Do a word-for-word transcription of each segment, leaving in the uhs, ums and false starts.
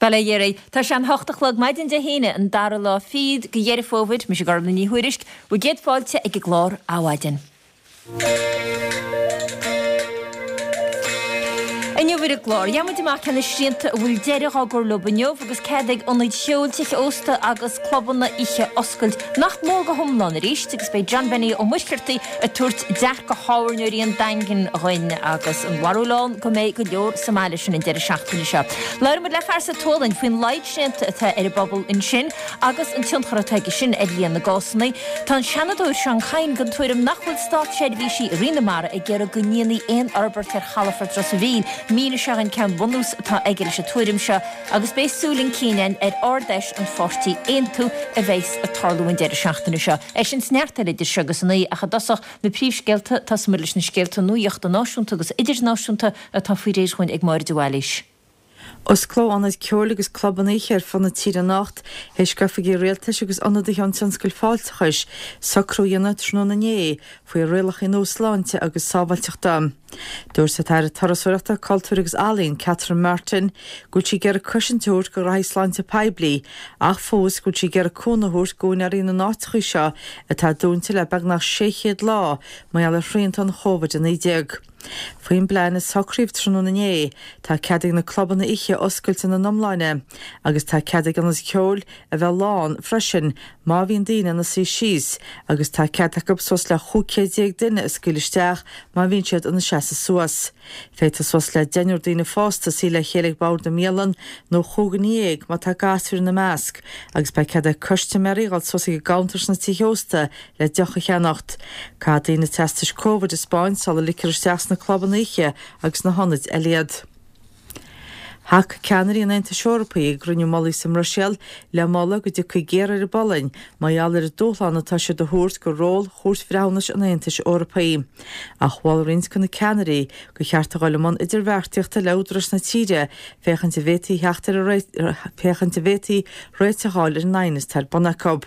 Bail ó Dhia oraibh. Tá sé an hocht a chlog maidin Dé hAoine, an dara lá fichead de Dheireadh Fómhair, mise Gormlaith Ní Thuairisg, bhur gcéad fáilte ag an gclár Adhmhaidin. Inniu ar an gclár, gheobhaidh muid amach cé na srianta a bhfuil deireadh á gcur leo inniu agus cead ag ionaid cheoil, tithe ósta agus clubanna oíche oscailt nach mór go hiomlán arís agus beidh John Benny Ó Muircheartaigh ag tabhairt dearcadh thábhairneoirí an Daingin dhuinn agus an bharúil ann go mbeidh go leor sa mbaile sin an deireadh seachtaine seo. Labhróidh muid le fear sa tSualainn faoin laghad srianta atá ar an bpobal ansin agus an tionchar atá aige sin ar líon na gcásanna. Tá an Seanadóir Seán Kyne den tuairim nach bhfuil státseirbhísí i Rith na Mara ag iarraidh go ndéanfaí aon fhorbairt ar chalafort Ros an Mhíl. Míneoidh sé dhúinn cén bunús atá aige leis an tuairim seo agus beidh súil chun cinn againn ar Ard-Fheis an pháirtí Aontú a bheas ag tarlú an deireadh seachtaine seo. É sin is neart eile idir seo agus a naoi ach i dtosach na príomhscéalta, tosóidh muid leis na scéalta nuachta náisiúnta agus idirnáisiúnta atá faoi réir dhúinn ag Máire de Bhailís. Osclóidh ionaid ceoil agus clubanna oíche ar fud na tíre anocht, théis d'oifigigh rialtais agus ionadaithe ón tionscal fáilteachais socrú a dhéanamh tráthnóna inné faoi rialacha nua sláinte agus sábháilteachta. Dúirt an tAire Turasóireachta, Cultúir agus Ealaíon, Catherine Martin, go bhfuil sí ag iarraidh cosaint a thabhairt do ghraithí sláinte poiblí ach fós go bhfuil sí ag iarraidh cúnamh a thabhairt d'úinéirí na n-áiteacha seo atá dúnta le beagnach sé chéad lá mar gheall ar shrianta an Chóvid a naoi déag. Faoin bplean a socraíodh tráthnóna inné, tá cead ag na clubanna oíche oscailt ina n-iomláine agus tá cead ag ionaid cheoil a bheith lán freisin má bhíonn daoine ina suí síos agus tá cead acu suas le chúig chéad déag duine a scaoileadh isteach má bhíonn siad ina seasamh suas. Féadfaidh suas le deichniúr daoine fásta suí le chéile ag bord i mbialann nó chúigear dhéag má tá gasúir ina measc agus beidh cead ag custaiméirí dhul suas ag an gcuntar sna tithe ósta le deoch a cheannacht. Caithfidh daoine teastais Covid a 'spáint sula ligtear isteach sna clubanna oíche agus sna hionaid eile iad. Thacaigh ceannairí an Aontais Eorpaigh ag gcruinniú mullaigh sa mBruiséil le moladh go dtiocfaidh géarú ar an bPolainn mar gheall ar an dúshlán atá siad a thabhairt do ról Chúirt Bhreithiúnais an Aontais Eorpaigh. Ach mhol roinnt de na ceannairí gur cheart a dhul i mbun idirbheartaíochta le údaráis na tíre féachaint an bhféadfaí theacht ar féachaint an bhféadfaí réiteach a fháil ar an aighneas atá ar bun acu.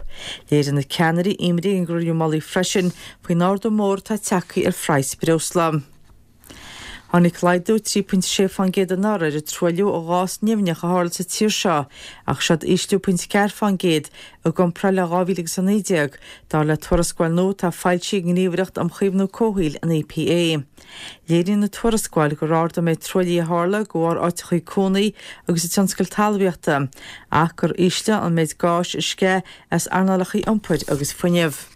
Léirigh na ceannairí imní ag an gcruinniú mullaigh freisin faoin ardú mór atá tagtha ar phraghas breosla. Tháinig laghdú trí pointe sé fán gcéad anuraidh ar an truailliú ó ghás nimhneach a tharla sa tír seo ach seod ísliú pointe ceathair fán gcéad i gcomparáid le dhá mhíle agus a naoi déag, dar le tuarascáil nua atá foilsithe ag an nGníomhaireacht um Chaomhnú Comhshaoil, an EPA. Léiríonn an tuarascáil gur ardaigh an méid truaillithe a tharla de bharr áiteachaí cónaí agus an tionscal talmhaíochta ach gur ísle an méid gáis a sceith as earnálacha iompair agus fuinnimh.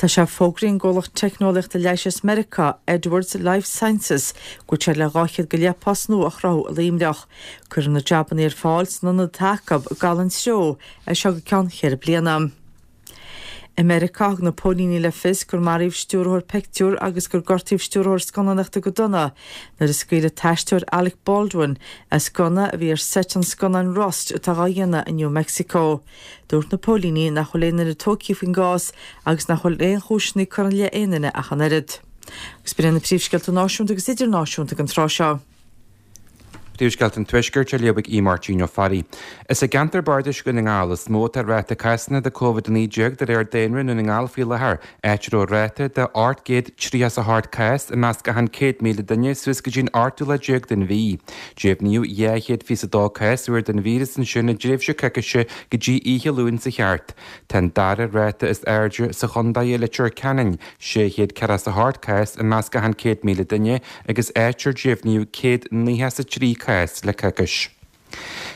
Tá sé fógraithe ag an gcomhlacht teicneolaíochta leighis as Meiriceá, Edwards Lifesciences, go bhfuil siad le dhá chéad go leith post nua a chruthú i Luimneach. Cuirfear na jabanna ar fáil san ionad atá acu i gCaladh an Treo as seo go ceann cheithre bliana. I Meiriceá, thug na póilíní le fios gur maraíodh stiúrthóir pictiúr agus gur gortaíodh stiúrthóir scannánaíochta go dona nuair a scaoil an t-aisteoir Alec Baldwin as gunna a bhí ar seit an scannáin Rust atá dhá dhéanamh i New Mexico. Dúirt na póilíní nach bhfuil aon duine tógtha faoin gcás agus nach bhfuil aon chúiseanna curtha i leith aon duine ach an oiread. Agus b'in iad na príomhscéalta náisiúnta agus idirnáisiúnta ag an tráth seo. Príomhscéalta an Tuaiscirt á léamh ag Aodh Máirtín Ó Fearraigh. Is i gceantar bardais Dhún na nGall is mó atá ráta cásanna de Covid a naoi déag de réir daonra i nDún na nGall faoi láthair, áit a raibh ráta de ocht gcéad tríocha is a hocht cás i measc achan céad míle duine suas go dtí an ochtú lá déag den mhí. Deimhníodh dhá chéad fiche is a dó cás úr den víreas ansin i dtréimhse coicíse go dtí oíche Luain seo thart. Tá an dara ráta is airde sa chontae i Leitir Ceanainn, sé chéad ceathracha is a hocht cás i measc achan céad míle duine, agus áit ar deimhníodh céad nócha is a trí cás le coicís.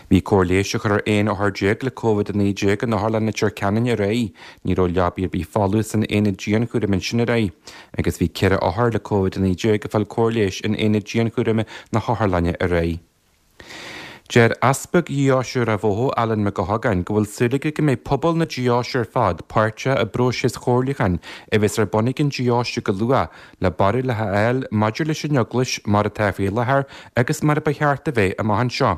Bhí cóir leighis á chur ar aon othar déag le Covid a naoi déag in Otharlann Leitir Ceanainn aréir. Ní raibh leabaí ar bith folamh san aonad dianchúraim ansin aréir. Agus bhí ceithre othar le Covid a naoi déag ag fáil cóir leighis in aonad dianchúraim na hotharlainne aréir. Deir Easpag Dheoise Ráth Bhoth, Alan Mac Gabhann, go bhfuil súil aige go mbeidh pobal na deoise ar fad páirteach i bpróiseas chomhairliúcháin a bheas ar bun ag an deoise go luath le barúlacha a fháil maidir leis an Eaglais mar atá faoi láthair agus mar a ba cheart a bheith amach anseo.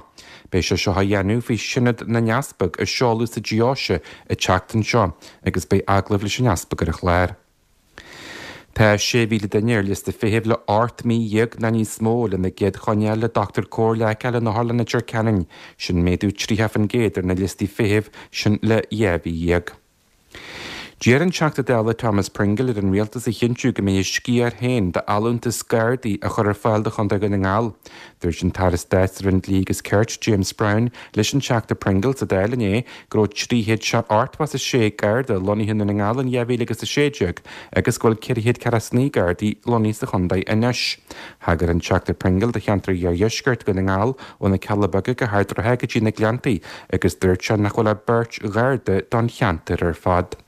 Beidh sé seo á dhéanamh faoi Shionad na nEaspag a seoladh sa deoise an tseachtain seo agus beidh agallamh leis an Easpag ar an chlár. Tá sé mhíle duine ar liosta feithimh le ocht mí dhéag nó níos mó lena gcéad choinne a fháil le dochtúir cóir a fheiceáil in Otharlann Leitir Ceanainn. Sin méadú tríocha faoin gcéad ar na liostaí feithimh sin le dhá mhí dhéag. D'iarr an Teachta Dála Thomas Pringle ar an Rialtas a chinntiú go mbeidh a sciar féin d'allúntas Gardaí a chur ar fáil do Chontae Dhún na nGall. Dúirt an tAire Stáit sa Roinn Dlí agus Cirt, James Browne, leis an Teachta Pringle sa Dáil inné go raibh trí chéad ochtó is a sé Garda lonnaithe i nDún na nGall in dhá mhíle agus a sé déag agus go bhfuil ceithre chéad ceathracha is naoi Gardaí lonnaithe sa chontae anois. Thagair an Teachta Pringle do cheantar iardheisceart Dhún na nGall ó na Cealla Beaga go hArd an Rátha go dtí na Gleanntaí agus dúirt sé nach bhfuil ach beirt Gharda don cheantar ar fad.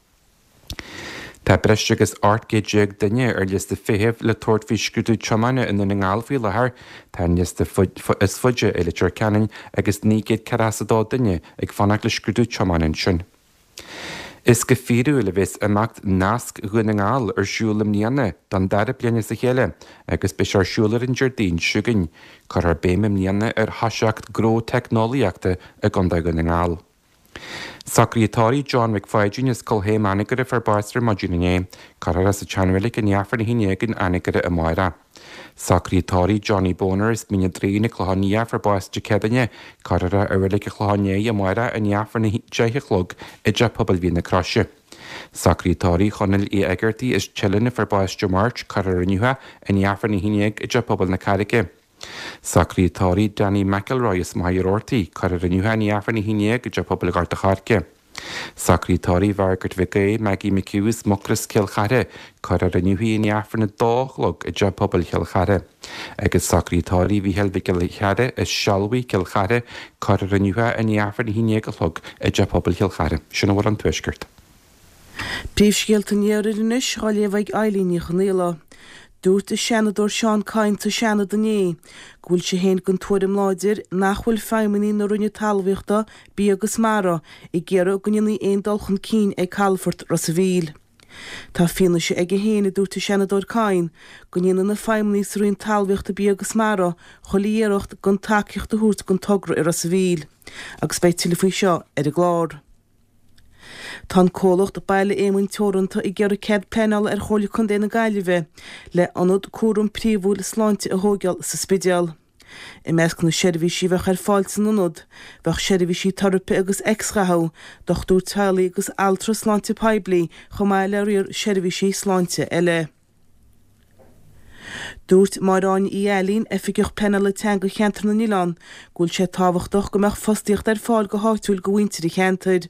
Tá breis agus ocht gcéad déag duine ar liosta feithimh le tabhairt faoi scrúdú tiomána i nDún na nGall faoi láthair. Tá an liosta is faide i Leitir Ceanainn agus naoi gcéad ceathracha is a dó duine ag fanacht le scrúdú tiomána ansin. Is go fíorúil a bheas imeacht Nasc Dhún na nGall ar siúl i mbliana don dara bliain as a chéile agus beidh sé ar siúl ar an Déardaoin seo chugainn. Cuirfear béim i mbliana ar thoiseacht gnó teicneolaíochta i gContae Dhún na nGall. Socruithe tórraimh John Mhic Pháidín as Cill Chéim Anagaire a fuair bás ar maidin inné. Cuirfear é sa tseanreilig i ndiaidh Aifreann a haon déag in Anagaire amárach. Socruithe tórraimh Johnny Boner as Mín an Draoin an Clochán Liath a fuair bás Dé Céadaoine. Cuirfear é i reilig an Chlocháin Léith amárach i ndiaidh Aifreann a deich a chlog i dTeach Pobail Mhín na Croise. Socruithe tórraimh Chonaill Uí Éigeartaigh as Teileann a fuair bás Dé Máirt. Cuirfear inniu é i ndiaidh Aifreann a haon déag i dTeach Pobail na Carraige. Socruithe tórraimh Danny McElroy as Machaire Rabhartaigh, cuirfear inniu é i ndiaidh Aifreann a haon déag i dTeach Pobail Ghort a' Choirce. Socruithe tórraimh Mhargaret Mhic Aoidh, Maggie McHugh as Mucros Cill Chartha, cuirfear inniu í i ndiaidh Aifreann a dó a chlog i dTeach Pobail Chill Chartha. Agus socruithe tórraimh Mhícheál Mhic Giolla Chearra as Sealbhaigh, Cill Chartha, cuirfear inniu é i ndiaidh Aifreann a haon déag a chlog i dTeach Pobail Chill Chartha. Sin a bhfuil ón Tuaisceart. Príomhscéalta an Iarthair anois á léamh ag Eilín Ní Chonaola. Dúirt an Seanadóir Seán Kyne sa Seanad inné go bhfuil sé féin den tuairim láidir nach bhfuil feidhmeannaigh na Roinne Talmhaíochta, Bia agus Mara ag iarraidh go ndéanfaí aon dul chun cinn ag calafort Ros an Mhíl. Tá fianaise aige féin, a dúirt an Seanadóir Kyne, go ndéanann na feidhmeannaigh sa Roinn Talmhaíochta, Bia agus Mara chuile iarracht gan tacaíocht a thabhairt don togra i Ros an Mhíl. Agus beidh tuilleadh faoi seo ar an gclár. Tá an comhlacht Baile Éamoinn Teoranta ag iarraidh cead pleanála ar Chomhairle Contae na Gaillimhe le ionad cúram príomhúil sláinte a thóigeáil sa Spidéal. I measc na seirbhísí a bheadh ar fáil san ionad, bheadh seirbhísí teiripe agus x-ghathú, dochtúir teaghlaigh agus altra sláinte poiblí chomh maith le riar seirbhísí sláinte eile. Dúirt Máire Áine Uí Ailín, Oifigeach Pleanála Teanga Cheantar na nOileán, go bhfuil sé tábhachtach go mbeadh fostaíocht ar fáil go háitiúil do mhuintir an cheantair.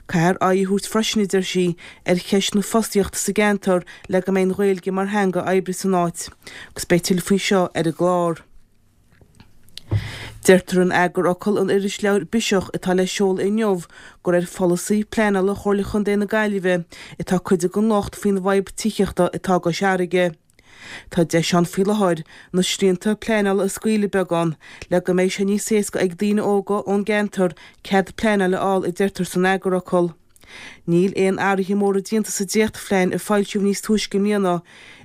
Caithfear aghaidh a thabhairt freisin, a deir sí, ar cheist na fostaíochta sa gceantar le go mbeidh an Ghaeilge mar theanga oibre san áit. Agus beidh tuilleadh faoi seo ar an gclár. Deirtear in eagarfhocal an irisleabhair Biseach atá le seoladh inniu gur ar pholasaí pleanála Chomhairle Chontae na Gaillimhe atá cuid den locht faoin bhfadhb tithíochta atá i gCois Fharraige. Tá deis ann faoi láthair na srianta pleanála a scaoileadh beagán le go mbeidh sé níos éasca ag daoine óga ón gceantar cead pleanála a fháil a deirtear san eagarfhocal. Níl aon athruithe móra déanta sa dréachtphlean a foilsíodh níos túisce i mbliana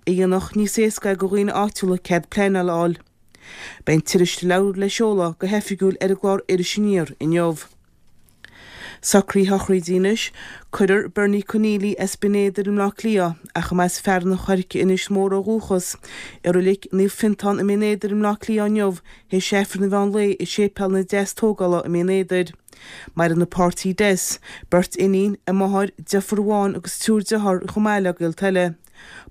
a dhéanfadh níos éasca é do dhaoine áitiúla cead pleanála a fháil. Beidh an t-irisleabhar le seoladh go hoifigiúil ar an gclár Iris Aniar inniu. Socruithe sochraide anois, Cuirfear Bernie Conneely as Binn Éadair i mBleá Cliath, ach a mba as Fearann an Choirce in Inis Mór ó dhúchas, i Reilig Naomh Fiontán i mBinn Éadair i mBleá Cliath inniu théis Aifreann an mheán lae i Séipéal na Deastógála i mBinn Éadair. Maireann a páirtí Des, beirt iníon, a máthair, deirfiúr amháin agus triúr dearthár chomh maith le gaolta eile.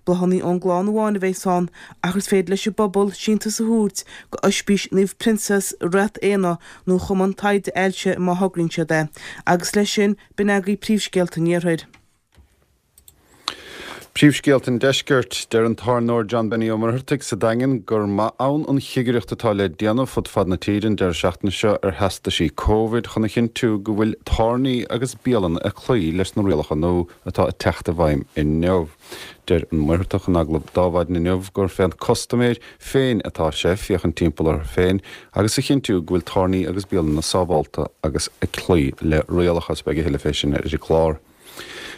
Bláthanna ón gclann amháin a bheas ann ach is féidir leis an bpobal síntiús a thabhairt go Oispís Naomh Proinsias, Rath Éanna nó Chumann Taighde Ailse má thograíonn siad é. Agus leis sin, b'in agaibh príomhscéalta an Iarthair. Príomhscéalta an Deiscirt, Deir an tábhairneoir John Benny Ó Muircheartaigh sa Daingean gur maith ann an chigireacht atá le déanamh fud fad na tíre an deireadh seachtaine seo ar theastaisí Covid chun a chinntiú go bhfuil tábhairní agus bialanna ag cloí leis na rialacha nua atá ag teacht i bhfeidhm inniu. Deir an Muircheartach in agallamh d'Adhmhaidin inniu gur fén custaiméir féin atá sé féachaint timpeall orthu féin agus a chinntiú go bhfuil tábhairní agus bialanna sábhálta agus ag cloí le rialacha. Beidh a thuilleadh fé sin ar an gclár.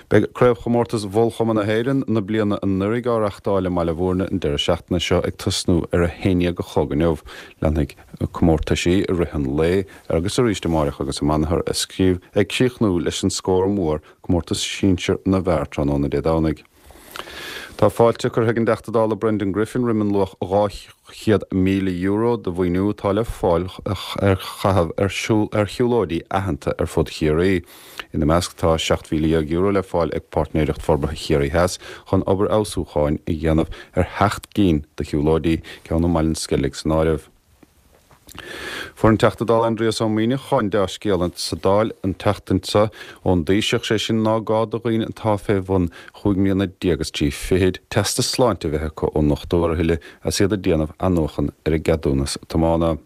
Beidh Craobhchomórtas Bhullchumann na hÉireann na bliana anuraidh á reachtáil i mBaile Bhúirne an deireadh seachtaine seo ag tosnú ar a haon déag a chlog inniu. Leanfaidh na comórtaisí i rith an lae agus arís amáireach agus amanathar ag críochnú leis an scór mór, comórtas sinsir na bhfear tráthnóna Dé Domhnaigh. Tá fáilte curtha ag an dTeachta Dála Brendan Griffin roimh an luach dhá chéad míle euro de mhaoiniú atá le fáil ar chaitheamh ar ar shiúlóidí aitheanta ar fud Chiarraí. Ina measc tá seacht mhíle dhéag euro le fáil ag Páirtnéireacht Forbartha Chiarraí Theas chun obair fheabhsúcháin a dhéanamh ar sheacht gcinn de shiúlóidí, ceann i mBaile an Sceilg san áireamh. Fuair an Teachta Dála Aindrias Ó Muimhneacháin dea-scéala sa Dáil an tseachtain seo ón dTaoiseach, sé sin ná gá do dhaoine atá fé bhun chúig mbliana déag is trí fichid teastas sláinte a bheith acu ón ndochtúir a thuilleadh as iad ag déanamh athnuachan ar a gceadúnas tiomána.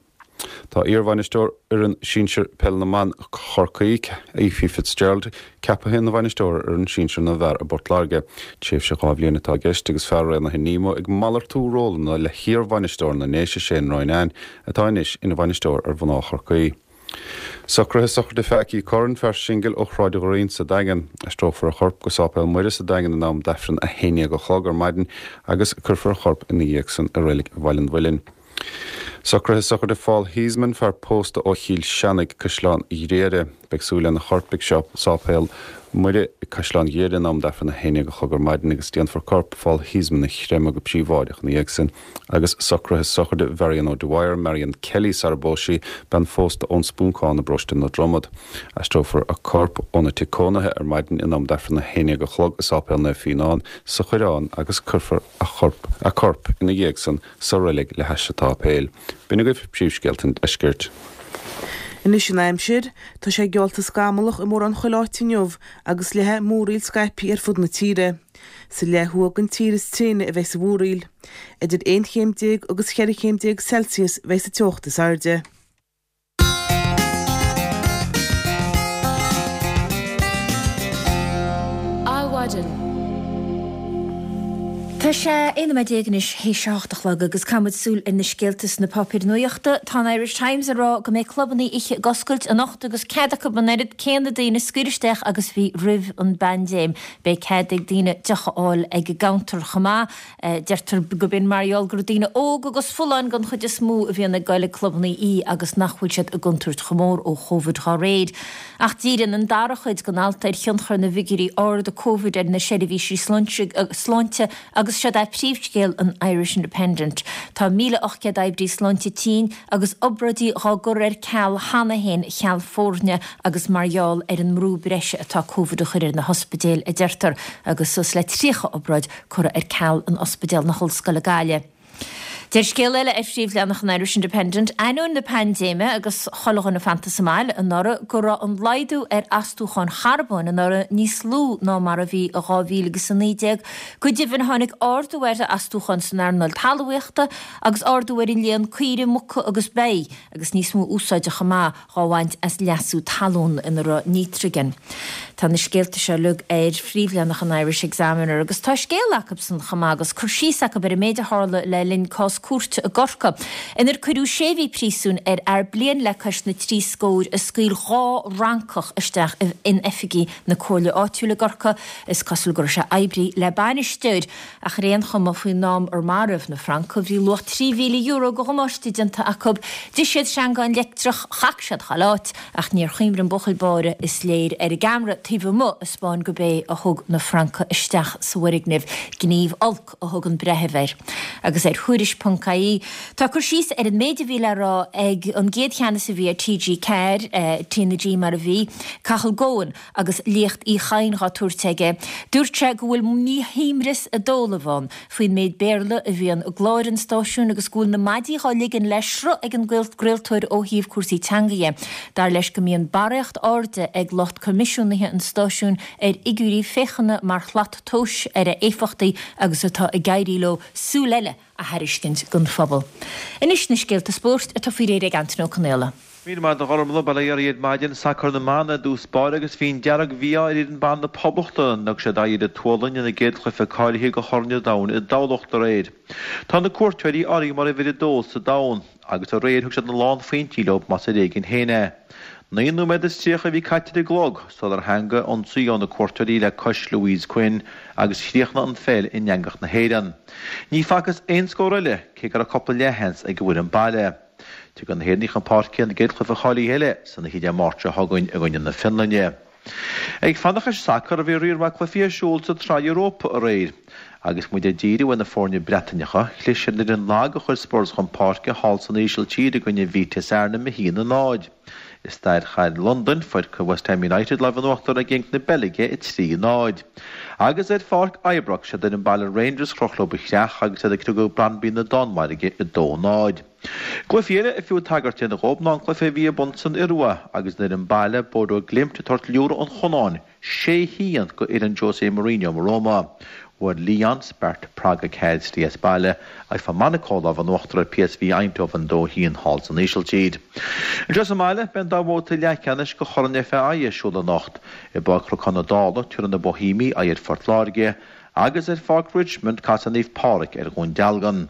Tá iarbhainisteoir fhoireann sinsir peil na mban Chorcaí, Ephie Fitzgerald, ceaptha ina bhainisteoir ar fhoireann sinsir na bhfear i bPort Láirge. Tréimhse dhá bhliain atá i gceist agus fear Raonaithe Nemo ag malartú rólanna le hiarbhainisteoir na nDéise, Shane Ronayne, atá anois ina bhainisteoir ar mhná Chorcaí. Socruithe sochraide Pheaicí Curran, fear singil ó Shráid Ghreen sa Daingean. Aistreofar a chorp go Sáipéal Muire sa Daingean in am d'Aifreann a haon déag a chlog ar maidin agus cuirfear a chorp ina dhiaidh san i Reilig Bhaile an Mhuilinn. Socruithe sochraide Phaul Heasman, fear pósta ó Chill Seanaigh, Caisleán Ghriaire. Beidh súil lena chorp ag Sáipéal Muire i gCaisleán Ghriaire in am d'Aifreann a haon déag a chlog ar maidin agus déanfar corp Phaul Heasman a chreimeadh go príobháideach ina dhiaidh sin. Agus socruithe sochraide Mharion O'Dwyer, Marion Kelly sara bpós sí, bean phósta ón Spúncán i bparóiste na Dromad. Aistreofar a corp óna tigh cónaithe ar maidin in am d'Aifreann a haon déag a chlog i Sáipéal Naomh Fíonán sa Choireán agus cuirfear a chorp a corp ina dhiaidh san sa reilig le hais an tsáipéil. B'in agaibh príomhscéalta an deiscirt. Anois an aimsir, tá sé geallta scamallach i mórán chuile áit inniu agus leathfaidh múraíl scaipthe ar fud na tíre. Sa leath thuaidh den tír is tréine a bheidh sa mhúraíl. Idir aon chéim déag agus cheithre chéim déag Celsius bheidh sa teocht is airde. Adhmhaidin. Tá sé aon nóiméad déag anois théis a hocht a chlog agus caithfidh muid súil ar na scéalta sna páipéir nuachta. Tá an Irish Times ag rá go mbeidh clubanna oíche ag oscailt anocht agus cead acu an oiread céanna daoine a scaoileadh isteach agus bhí roimh an bpaindéim. Beidh cead ag daoine deoch a fháil ag an gcounter chomh maith. Deirtear go b'in mar gheall gur daoine óg agus folláin den chuid is mó a bhíonn ag goil ag clubanna oíche agus nach bhfuil siad i gcontúirt chomh mór ó Chóvid dhá réir. Ach díríonn an dara cuid den alt ar thionchar na bhfigiúirí arda Covid ar na seirbhísí sláinte agus seod é príomhscéal an Irish Independent. Tá míle ocht gcéad oibrí sláinte tinn agus obráidí dhá gcur ar ceal cheana féin cheal foirne agus mar gheall ar an mbrú breise atá Covid a chur ar na hospidéil, a deirtear, agus suas le tríocha obráid curtha ar ceal in Ospidéal na hOllscoile Gaillimh. Deir scéal eile ar phríomhleathanach an Irish Independent, ainneoin na paindéime agus chuile dhuine fanta sa mbaile anuraidh, go raibh an laghdú ar astúcháin charbóin anuraidh níos lú ná mar a bhí i dhá mhíle agus a naoi déag. Go deimhin, tháinig ardú ar astúcháin san earnáil talmhaíochta agus ardú ar an líon caoire, muca agus ba, agus níos mó úsáide chomh maith dhá bhaint as leasú talún ina raibh nítrigin. Tá na scéalta seo uilig ar phríomhleathanach an Irish Examiner agus tá scéal acubsan chomh maith agus cur síos acu ar an méid a tharla le linn cás cúirte i gCorcaigh inar cuireadh sé mhí príosúin ar fhear bliain le cois na trí scóir a scaoil dhá fhrancach isteach in oifigí na comhairle áitiúil i gCorcaigh. Is cosúil go raibh sé oibrithe le bainisteoir ach ar aon chuma faoin am ar maraíodh na francaigh bhí luach trí mhíle euro de dhamáiste déanta acu. D'ith siad sreangán leictreach, chac siad chuile áit, ach níor chuimrigh an buachaill báire, is léir, ar an gceamara taobh amuigh a 'spáin gurb é a thug na francaigh isteach sa bhfoirgneamh. Gníomh olc a thug an breitheamh air. Agus ar Thuairisc ponc ie, tá cur síos ar an méid a bhí le rá ag an gcéad cheannas a bhí ar T G ceathair, T na G mar a bhí, Cathal Goan, agus léacht Uí Chadhain dhá tabhairt aige. Dúirt sé go bhfuil míshuaimhneas i dtólamh ann faoin méid Béarla a bhíonn i gcláir an stáisiúin agus go bhfuil na maidí dhá ligean le sruth ag an gcraoltóir ó thaobh cúrsaí teanga dhe. Dar leis go mbíonn barraíocht airde ag lucht coimisiúnaithe an stáisiúin ar fhigiúirí féachana mar shlat tomhais ar a éifeachtaí agus atá ag éirí leo súil eile a thairiscint don phobal. Anois na scéalta spóirt atá faoi réir ag Antaine Ó Conaola. Míle maith agat a Ghormfhlaith, bail ó Dhia oraibh ar maidin, sacar na mban i dtús báire agus bhí an dearg-mhí-ádh ar fhoireann ban na Poblachta nuair a thug siad aghaidh ar an tSualainn ina gcéad chluiche cáilithe do Chorn an Domhain i dTamhlacht aréir. Tá na cuairteoirí áirithe mar uimhir a dó sa domhan agus aréir thug siad na lánphointí leo más ar éigean féin é. Naoi nóiméad is tríocha a bhí caite ar an gclog sular theangaigh ionsaí ó na cuairteoirí le cois Louise Quinn agus chríochnaigh an pheil in eangach na hÉireann. Ní facthas aon scór eile cé go raibh cúpla leathsheans ag an bhfoireann baile. Tiocfaidh na hÉireannaigh chun páirce ina gcéad chluiche cháilithe eile san oíche Dé Máirt seo chugainn i gcoinne na Fionlainne. Ag fanacht leis an sacar, bhí riar maith cluichí ar siúl sa tSraith Europa aréir Agus muid ag díriú ar na foirne Breataineacha, chlis ar an fhoireann lag a chuir Spurs chun páirce thall san Ísiltír i gcoinne Vitesse Arnhem a haon a náid. I staid chathair Londain, fuair West Ham United lámh in uachtar ar Genk na Beilge a trí a náid. Agus ar pháirc Ibrox, siad fhoireann baile Rangers a chroch leo ba chreach agus iad ag criogadh Brøndby na Danmhairge a dó a náid. Cluichí eile ar fiú tagairt a dhéanamh dhóibh ná an cluiche a bhí ar bun san Iorua agus an fhoireann baile Bodø Glimt ag tabhairt liúradh an Chonáin sé haon go fhoireann Jose Mourinho Roma. Bhuail Lyon Sparta Prague a ceathair trí as baile agus fuair Monaco lámh in uachtar ar PSV Eindhoven dó haon thall san Ísiltír. Anseo sa mbaile beidh an dá bhabhta leathcheannais de Chorn FAI ar siúl anocht. I bPáirc Chnocán na Dála tabharfaidh na Boihéamaigh aghaidh ar Phort Láirge agus ar Pháirc Richmond casfaidh Naomh Pádraig ar Dhún Dealgan.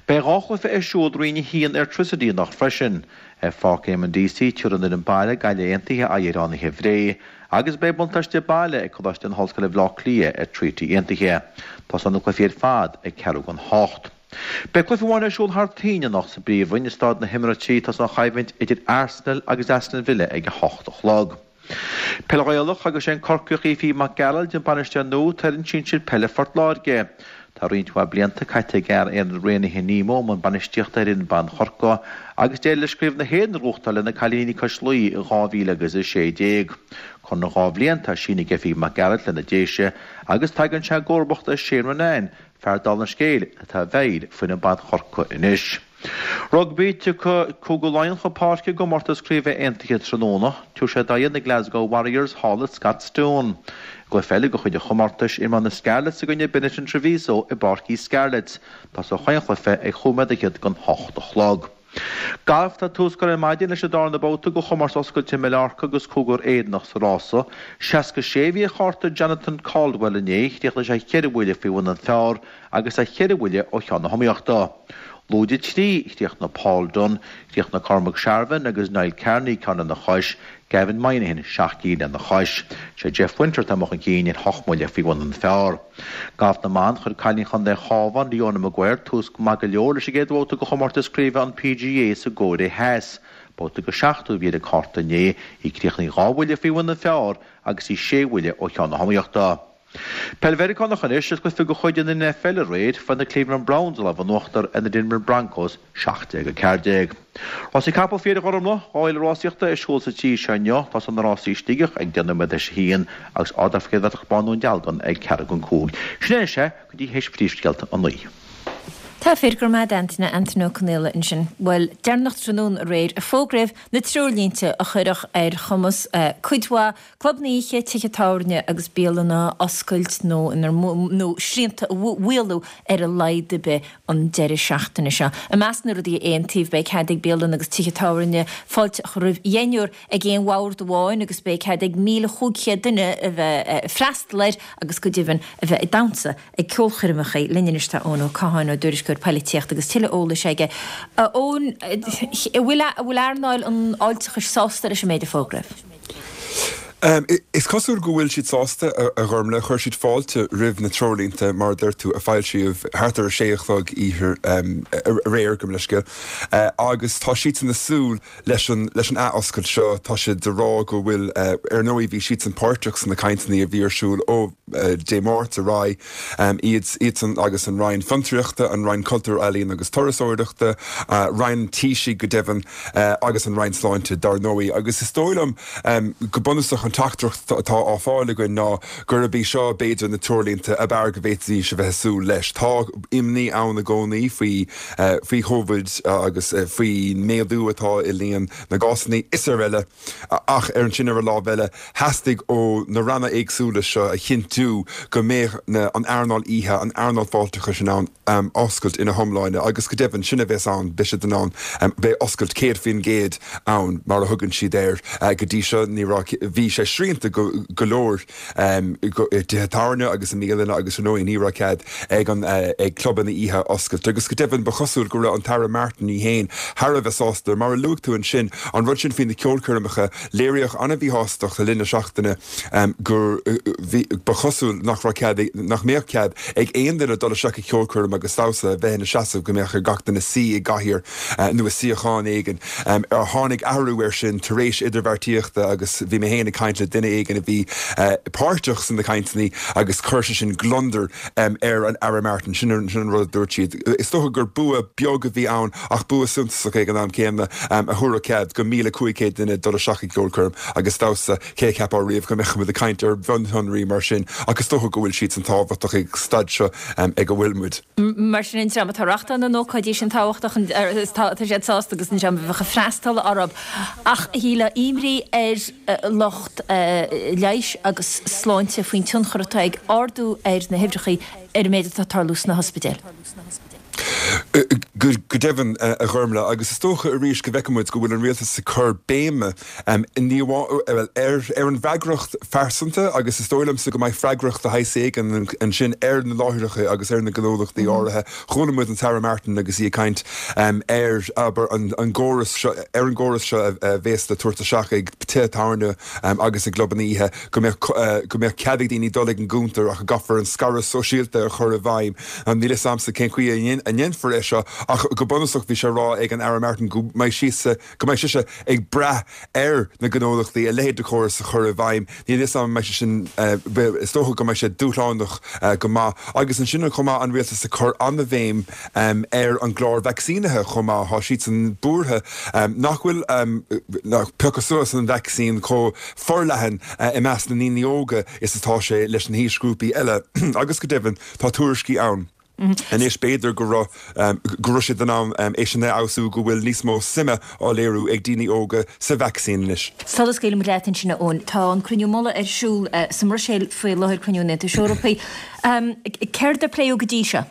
Beidh dhá chluiche ar siúl i Roinn a haon Airtricity anocht freisin. Ar Pháirc Éamonn Deacy, tabharfaidh an fhoireann baile Gaillimh Aontaithe aghaidh ar Fhánaithe Bhré agus beidh buntáiste baile ag Coláiste na hOllscoile Bhaile Átha Cliath ar Treaty Aontaithe. Tosóidh na cluichí ar fad ag ceathrú don hocht. Beidh cluiche amháin ar siúl thar toinn anocht sa bPríomhroinn i Staid na hEmirates, tosóidh an choimhlint idir Arsenal agus Aston Villa ag a hocht a chlog. Peil Ghaelach agus sé an Corcaíoch Aoife Mac Gearailt an bainisteoir nua atá ar fhoireann sinsir peile Phort Láirge. Tá roinnt mhaith blianta caite ag fhear Aonad Raonaithe Nemo i mbun bainistíochta ar fhoireann ban Chorcaí agus d'éirigh leis Craobh na hÉireann a ghnóthachtáil le na cailíní cois Laoi i dhá mhíle agus a sé déag. Conradh dhá bhliain atá sínithe ag Aoife Mac Gearailt le na Déise agus tagann sé i gcomharbacht ar Shane Ronayne, fear dála an scéil atá i bhfeighil foireann ban Chorcaí anois. Rugbaí, Tiocfaidh Cúige Laighean chun páirce i gcomórtas craoibhe aontaithe tráthnóna. Tabharfaidh siad aghaidh ar na Glasgow Warriors thall i Scotstoun. I gcluiche eile de chuid an chomórtais, imreoidh na Scarlets i gcoinne Benetton Treviso i bPáirc Uí Scarlets. Tosóidh chaon chluiche ag chúig nóiméad fhichead don hocht a chlog. Galf, Tá tús curtha ar maidin leis an darna babhta de chomórtas oscailte Mallorca agus cúigear Éireannach sa rása. seasca sé a bhí ar chárta Jonathan Caldwell inné, chríochnaigh sé ceithre bhuille faoi bhun an phar agus é cheithre bhuille ó cheann na hiomaíochta. Lúide trí, chríochnaigh Paul Dunne, chríochnaigh Cormac Sharvin agus Niall Kearney ceann lena chois, Gavin Moynihan seacht gcinn lena chois. Sé Jeff Winther atá amuigh chun cinn ar hocht mbuille faoi bhun an phar. Galf na mBan, chuir cailín Chontae an Chabháin, Leona Maguire, tús maith go leor leis an gcéad bhabhta de chomórtas craoibhe an PGA sa gCóiré Theas. Babhta de seachtó a bhí ar a cárta inné, í críochnaithe dhá bhuille faoi bhun an phar agus í sé bhuille ó cheann na hiomaíochta. Peil Mheiriceánach anois is cluiche de chuid an NFL aréir, fuair na Cleveland Browns lámh in uachtar ar na Denver Broncos seacht déag a ceathair déag. Rásaí capall fir a Ghormfhlaith, dhá fhéile rásaíochta ar siúl sa tír seo inniu, tosaíonn na rásaí i Sligeach ag deich nóiméad théis a haon agus Ardach Chéad Bhán Dhún Dealgan ag ceathrú don cúig. Sin é anois é go dtí théis phríomhscéalta a naoi. Tá fíor, go raibh maith agat Antaine, Antaine Ó Conaola ansin. Bhuel, deireanach tráthnóna aréir a fógraíodh na treoirlínte a chuirfeadh ar chumas cuid mhaith clubanna oíche, tithe tábhairne agus bialanna oscailt nó nó srianta a mhaolú ar a laghad ar bith an deireadh seachtaine seo. I measc na rudaí a aontaíodh, beidh cead ag bialanna agus tithe tábhairne fáilte a chur roimh dheichniúr ag aon bhord amháin agus beidh cead ag míle chúig chéad duine a bheith ag freastal air agus go deimhin a bheith ag damhsa ag ceolchoirmeacha. Linn anois tá Eoin Ó Catháin, ár dtuairisceoir poilitíochta agus tuilleadh eolais aige. A Eoin, an bhfuil an bhfuil earnáil an fháilteachais sásta leis an méid a fógraíodh? Is cosúil go bhfuil siad sásta, a Ghormfhlaith. Chuir siad fáilte roimh na treoirlínte, mar a deir tú, a foilsíodh thart ar a sé a chlog oíche aréir, gabh mo leithscéal. Agus tá siadsan ag súil leis an leis an athoscailt seo. Tá siad ag rá go bhfuil, ar ndóigh bhí siadsan páirteach sna cainteanna a bhí ar siúl ó Dé Máirt ar aghaidh, iad iadsan agus an Roinn Fiontraíochta, an Roinn Cultúir, Ealaíon agus Turasóireachta, Roinn an Taoisigh go deimhin, agus an Roinn Sláinte dar ndóigh. Agus is dóigh liom go bunúsach an teachtaireacht atá á fáil againn ná gurb í seo b'fhéidir na treoirlínte ab fhearr go bhféadfaidís a bheith ag súil leis. Tá imní ann i gcónaí faoi faoi Covid agus faoin méadú atá i líon na gcásanna is araile ach ar ansin ar an lámh eile theastaigh ó na ranna éagsúla seo a chinntiú go mbeadh na an earnáil oíche, an earnáil fáilteachais in ann oscailt ina hiomláine agus go deimhin sin a bheas ann, beidh siad in ann, beidh oscailt céad faoin gcéad ann mar a thugann siad air. Go dtí seo ní raibh, bhí sé srianta go go leor i dtithe tábhairne agus i mbialanna agus ar ndóigh ní raibh cead ag an ag clubanna oíche oscailt agus go deimhin ba chosúil go raibh an tAire Martin í féin thar a bheith sásta. Mar a luaigh tú ansin, an rud sin faoi na ceolchoirmeacha, léiríodh an-mhíshástacht le linn na seachtaine gur bhí, ba chosúil nach raibh cead, nach mbeadh cead ag aon duine dul isteach i gceolchoirm agus damhsa, a bheith ina seasamh, go mbeadh ar gach duine suí i gcathaoir nó i suíochán éigin. Tháinig athrú air sin tar éis idirbheartaíochta agus bhí mé féin ag caint caint le duine éigin a bhí páirteach sna cainteanna agus chuir sé sin gliondar ar an Aire Martin, sin an rud a dúirt siad. Is dócha gur bua beag a bhí ann ach bua suntasach ag an am céanna a thabharfadh cead go míle cúig chéad duine dul isteach i gceolchoirm agus damhsa. Cé a cheapfadh riamh go mbeadh muid ag caint ar mhionshonraí mar sin ach is dócha go bhfuil siad san tábhachtach ag staid seo ag a bhfuil muid. Mar sin an dream atá ag reáchtáil na n-ócáidí sin tábhachtach, tá siad sásta agus an dream a bheadh ag freastal orthu. Ach a Shíle, imní ar lucht leighis agus sláinte faoin tionchar atá ag ardú ar na huimhreacha ar an méid atá ag tarlú sna hospidéil. Go deimhin, a Ghormlaith, agus is dócha arís go bhfeiceann muid go bhfuil an rialtas ag cur béime ní amháin ar an bhfreagracht phearsanta agus is dóigh liomsa go mbeidh freagracht de shaghas éigin ansin ar na láithreacha agus ar na gnólachtaí áirithe. Chuala muid an tAire Martin agus í ag caint ar, abair, an gcóras seo, ar an gcóras seo a bhéas le tabhairt isteach ag tithe tábhairne agus ag clubanna oíche, go mbeadh go mbeadh cead ag daoine dul ag an gcuntar ach go gcaithfear an scaradh sóisialta a chur i bhfeidhm. Níl a fhios a'msa cén chaoi a ndéanfar é seo ach go bunúsach bhí sé á rá ag an Aire Martin go mbeidh sise go mbeidh sise ag brath ar na gnólachtaí a leithéid de chóras a chur i bhfeidhm. Níl a fhios a'm an mbeidh sé sin, is dócha go mbeidh sé dúshlánach go maith. Agus ansin chomh maith an rialtas ag cur an-bhéim ar an gclár vacsaínithe chomh maith. Tá siadsan buartha nach bhfuil piocadh suas an vacsaín chomh forleathan i measc na ndaoine óga is atá sé leis na haoisghrúpaí eile agus go deimhin tá tuairiscí ann anois b'fhéidir go raibh go raibh siad in ann é sin a fheabhsú go bhfuil níos mó suime á léiriú ag daoine óga sa vacsaín anois. Sula scaoilimid leat ansin a Eoin, tá an cruinniú mullaigh ar siúl sa mBruiséil faoi láthair, cruinniú an Aontais Eorpaigh. Céard a pléadh go dtí seo?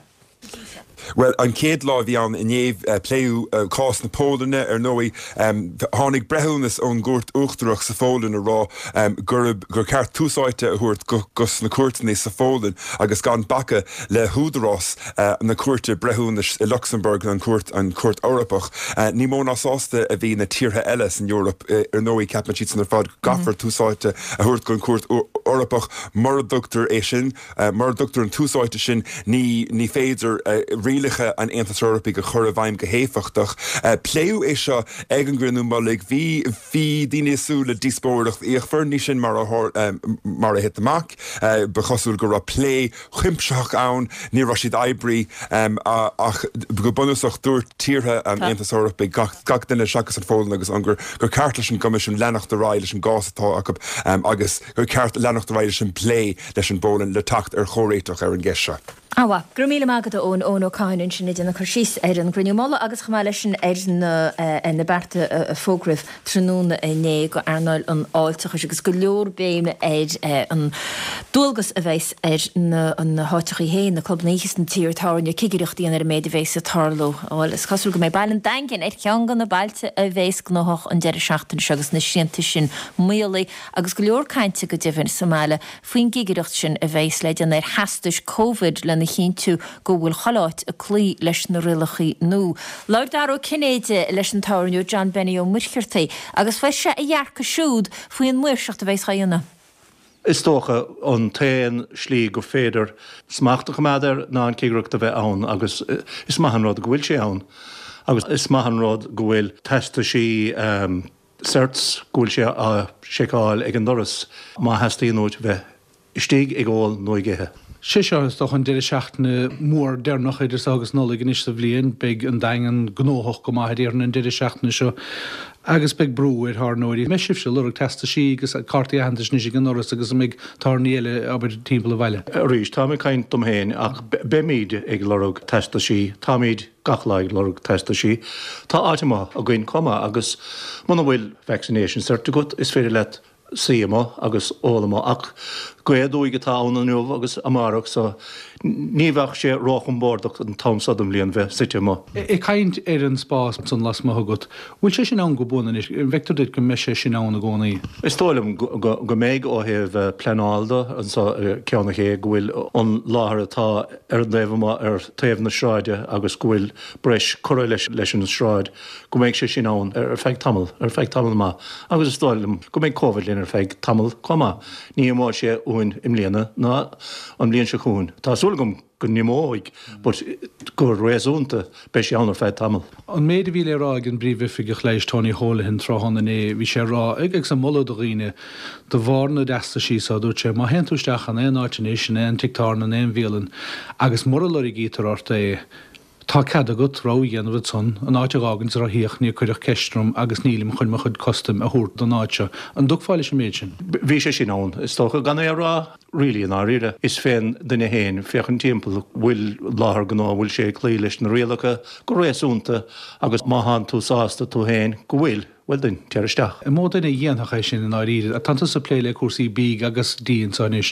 Bhuel, an chéad lá a bhí ann inné, pléadh cás na Polainne, ar ndóigh. Tháinig breithiúnas ón gCúirt Uachtarach sa Pholainn ag rá gurb, gur ceart tús áite a thabhairt dos na cúirteanna sa Pholainn agus gan bacadh le húdarás na Cúirte Breithiúnais i Lucsamburg, an Chúirt, an Chúirt Eorpach. Ní mó ná sásta a bhí na tíortha eile san Eoraip. Ar ndóigh, ceapann siadsan ar fad go gcaithfear tús áite a thabhairt don Chúirt Eorpach. Mura dtugtar é sin, Mura dtugtar an tús áite sin, ní ní féidir rialacha an Aontais Eorpaigh a chur i bhfeidhm go héifeachtach. Pléadh é seo ag an gcruinniú mullaigh. Bhí bhí daoine ag súil le díospóireacht fhíochmhar, ní sin mar a mar a thit amach. Ba chosúil go raibh plé cuimsitheach ann, ní raibh siad oibrithe ach go bunúsach dúirt tíortha an Aontais Eorpaigh, gach gach duine seachas an Pholainn agus an Ungáir, gur ceart leis an gCoimisiún leanacht ar aghaidh leis an gcás atá acu agus gur ceart leanacht ar aghaidh leis an bplé leis an bPolainn le teacht ar chomhréiteach ar an gceist seo. Ana mhaith. Go raibh míle maith agat a Eoin, Eoin Ó Catháin ansin ag déanamh cur síos ar an gcruinniú mullaigh agus chomh maith leis sin ar na ar na bearta a fógraíodh tráthnóna inné go earnáil an fháilteachais agus go leor béime ar an dualgas a bheas ar na na háiteachaí féin, na clubanna oíche is na tithe tábhairne cigireacht a dhéanamh ar an méid a bheas ag tarlú. Bhuel, is cosúil go mbeidh baile an Daingin ar cheann de na bailte a bheas gnóthach an deireadh seachtaine seo agus na srianta sin maolaithe agus go leor cainte go deimhin sa mbaile faoin gcigireacht sin a bheas le déanamh ar theastais Covid lena chinntiú go bhfuil chuile áit ag cloí leis na rialacha nua. Labhair Dara Ó Cinnéide leis an tábhairneoir John Benny Ó Muircheartaigh agus fuair sé a dhearcadh siúd faoin maoirseacht a bheas á dhéanamh. Is dócha an t-aon slí gur féidir smacht a choimeád air ná an cigireacht a bheith ann agus is maith an rud go bhfuil sé ann agus is maith an rud go bhfuil teastaisí certs, go bhfuil sé á seiceáil ag an doras má theastaíonn uait bheith istigh ag ól nó ag ithe. Sé seo is dócha an deireadh seachtaine mór deireanach idir seo agus Nollaig anois sa bhliain. Beidh an Daingean gnóthach go maith a déarfainn an deireadh seachtaine seo agus beidh brú ar thábhairneoirí. An mbeidh sibhse ag lorg teastaisí agus cártaí aitheantais anois ag an ndoras agus an mbeidh tábhairní eile abair timpeall an bhaile? Arís, táim ag caint dom féin ach beimid ag lorg teastaisí. Táimid gach lá ag lorg teastaisí. Tá áit amuigh againn chomh maith agus muna bhfuil vaccination cert agat is féidir leat suí amuigh agus ól amuigh ach gaoth aduaidh atá ann inniu agus amárach so ní bheadh sé róchompordach an t-am seo den bhliain bheith suite amuigh. Ag caint ar an spás san lasmuigh agat, bhfuil sé sin ann go buan anois? An bhfeictear duit go mbeidh sé sin ann i gcónaí? Is dóigh liom go mbeidh ó thaobh pleanáil de anso i Ceann an Ché go bhfuil an láthair atá ar an dtaobh amuigh ar taobh na sráide agus go bhfuil breis curtha leis an sráid, go mbeidh sé sin ann ar feadh tamall, ar feadh tamall maith agus is dóigh liom go mbeidh Covid linn ar ar feadh tamall chomh maith. Ní imeoidh sé uainn i mbliana ná an bhliain seo chugainn. Tá súil agam go n-imeoidh but go réasúnta beidh sé ann ar feadh tamall. An méid a bhí le rá ag an bPríomhoifigeach Leighis Tony Holohan tráthnóna inné, bhí sé ag rá, agus ag moladh do dhaoine, de bharr na dteastaisí so, dúirt sé, má théann tú isteach in aon áit anois, in aon tigh tábhairne, in aon bhialann, agus mura lorgaítear ort é, tá cead agat rogha a dhéanamh ansan, an áit a dh'fhágaint is a rá féach, níor cuireadh ceist orm agus nílim chun mo chuid custaim a thabhairt don áit seo. An dtiocfá leis an méid sin? Bhí sé sin ann, is dócha, gan é a rá really i ndáiríre. Is fén duine fhéin féachaint timpeall, bhfuil láthair gnó, bhfuil sé ag cloí leis na rialacha go réasúnta agus má thánn tú sásta tú fhéin go bhfuil, Bhuel then, téir isteach. An mó duine a dhéanfadh é sin i ndáiríre? Tá tusa ag plé le cúrsaí bídh agus dí anseo anois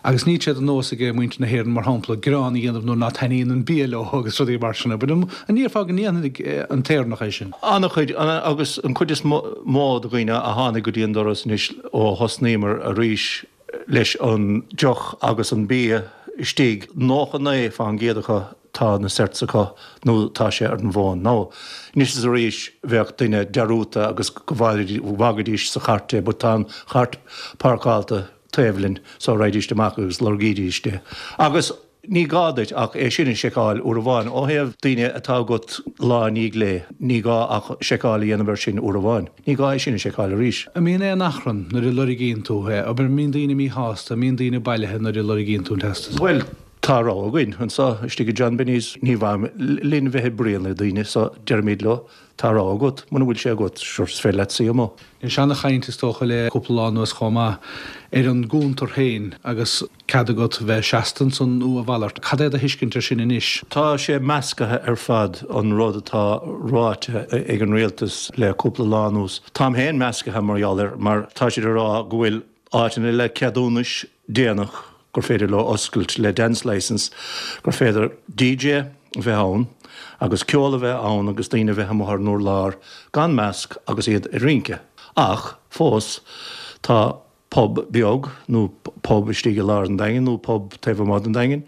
agus níl sé de nós ag muintir na hÉireann, mar shampla, gearán a dhéanamh nuair ná taitníonn an bia leo agus rudaí mar sin. But an ndéarfá go ndéanfaidh an tÉireannach é sin? An-chuid, agus an chuid is mó de dhaoine a tháinig go dtí an doras anois ó thosnaíomar arís leis an deoch agus an bia istigh, nócha naoi fán gcéad acu tá na certs acu nó tá sé ar an bhfón. Now, anois is arís bheadh duine dearúdta agus go bhfágaidís sa chairt é but tá an chairt páirceáilte taobh linn so raghaidís amach agus lorgaídís é. Agus ní gá duit ach é sin a sheiceáil uair amháin. Ó thaobh daoine atá agat lá i ndiaidh lae, ní gá ach seiceáil a dhéanamh air sin uair amháin. Ní gá é sin a sheiceáil arís. An mbíonn aon achrann nuair a lorgaíonn tú é? Abair, an mbíonn daoine míshásta, an mbíonn daoine bailithe nuair a lorgaíonn tú an teastas? Bhuel, Tá rogha againn anseo istigh i John Benny's. Ní mhaith linn bheith ag bruíon le daoine so deirimid leo, tá rogha agat, muna bhfuil sé agat, sure is féidir leat suí amuigh. Anois ana-chaint is dócha le cúpla lá anuas chomh maith ar an gcuntar féin agus cead agat bheith seasta ansan nó a mhalairt. Cad é do thuiscint ar sin anois? Tá sé meascaithe ar fad an rud atá ráite ag an rialtas le cúpla lá anuas. Táim féin meascaithe mar gheall air mar tá siad ag rá go bhfuil áiteanna le ceadúnais déanach gur féidir leo oscailt le dance licence, gur féidir DJ a bheith ann agus ceol a bheith ann agus daoine a bheith amuigh ar an urlár gan masc agus iad ag rince. Ach fós tá pub beag nó pub istigh i lár an Daingin nó pub taobh amuigh den Daingean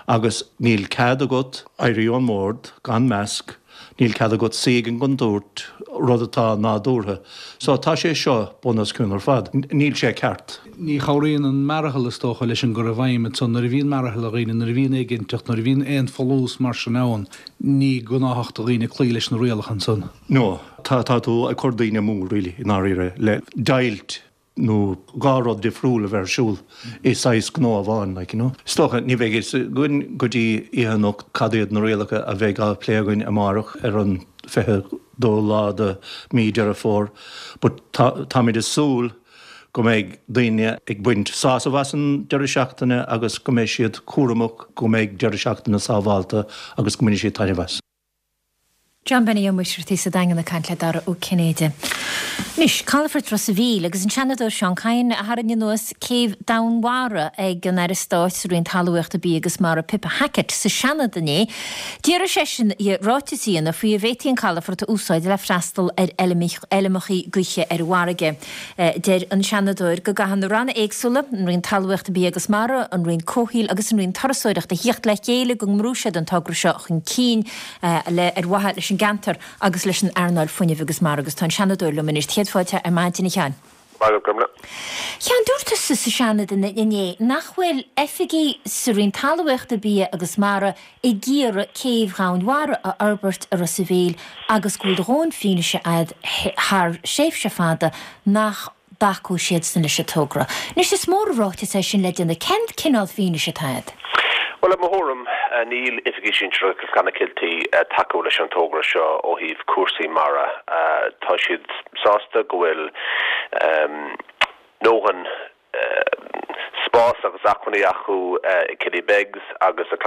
agus níl cead agat éirí ón mbord gan masc Níl cead agat suí ag an gcontúirt, rud atá nádúrtha. So tá sé seo bun os cionn ar fad. Níl sé ceart. Ní chabhraíonn an mearathal is dócha leis an gcur i bhfeidhm ansan. Nuair a bhíonn mearathal ar dhaoine, nuair a bhíonn éiginnteacht, nuair a bhíonn aon fholús mar sin ann, ní gnáthach do dhaoine cloí leis na rialacha ansan. No, tá, tá tú ag cur daoine amú really, i ndáiríre, le deighilt. nó dhá rud difriúil a bheith ar siúl i saghas gnó amháin, like, you know. Is dócha, ní bheidh fhios againn go dtí oíche anocht cad iad na rialacha a bheidh á plé againn amárach ar an fiche dó lá de mí Deireadh Fómhair, but tá, táimid ag súil go mbeidh daoine ag baint sásamh as an deireadh seachtaine agus go mbeidh siad cúramach go mbeidh deireadh seachtaine sábhálta agus go mbainfidh siad taitneamh as. John Benny Ó Muircheartaigh sa Daingean ag caint le Dara Ó Cinnéide. Anois, Calafort Ros a' Mhíl agus an Seanadóir Seán Kyne a tharraing anuas céibh Dhomhanmhara ag an Aire Stáit sa Roinn Talmhaíochta, Bia agus Mara Pippa Hackett sa Seanad inné. D'iarr seisean uirthi ráiteas a dhéanamh faoi an bhféadfaí an calafort a úsáid le freastal ar fheilmeacha gaoithe ar an bhfarraige. Deir an Seanadóir go gcaithfidh na ranna éagsúla, an Roinn Talmhaíochta, Bia agus Mara, an Roinn Comhshaoil agus an Roinn Turasóireachta, a thíocht le chéile go mbrúfaidh siad an togra seo chun cinn. le ar mhaithe leis an gceantar agus leis an earnáil fuinnimh agus mara agus tá an Seanadóir liom anois. Céad fáilte ar maidin, a Sheáin. Maith agat, Gormlaith. A Sheáin, dúirt tusa sa Seanad inné nach bhfuil oifigigh sa Roinn Talmhaíochta, Bia agus Mara ag iarraidh céibh Dhomhanmhara a fhorbairt i Ros a' Mhíl agus go bhfuil do dhóthain fianaise a'd thar thréimhse fada nach dtacóidh siadsan leis an togra. Anois is mór an ráiteas é sin le déanamh. Cén cineál fianaise atá agat? Bhuel, i mo thuairim, níl oifigigh sinsearacha Clonakilty ag tacú leis an togra seo ó thaobh cúrsaí mara. Tá siad sásta go bhfuil ndóthain spás agus acmhainní acu i Killybegs agus i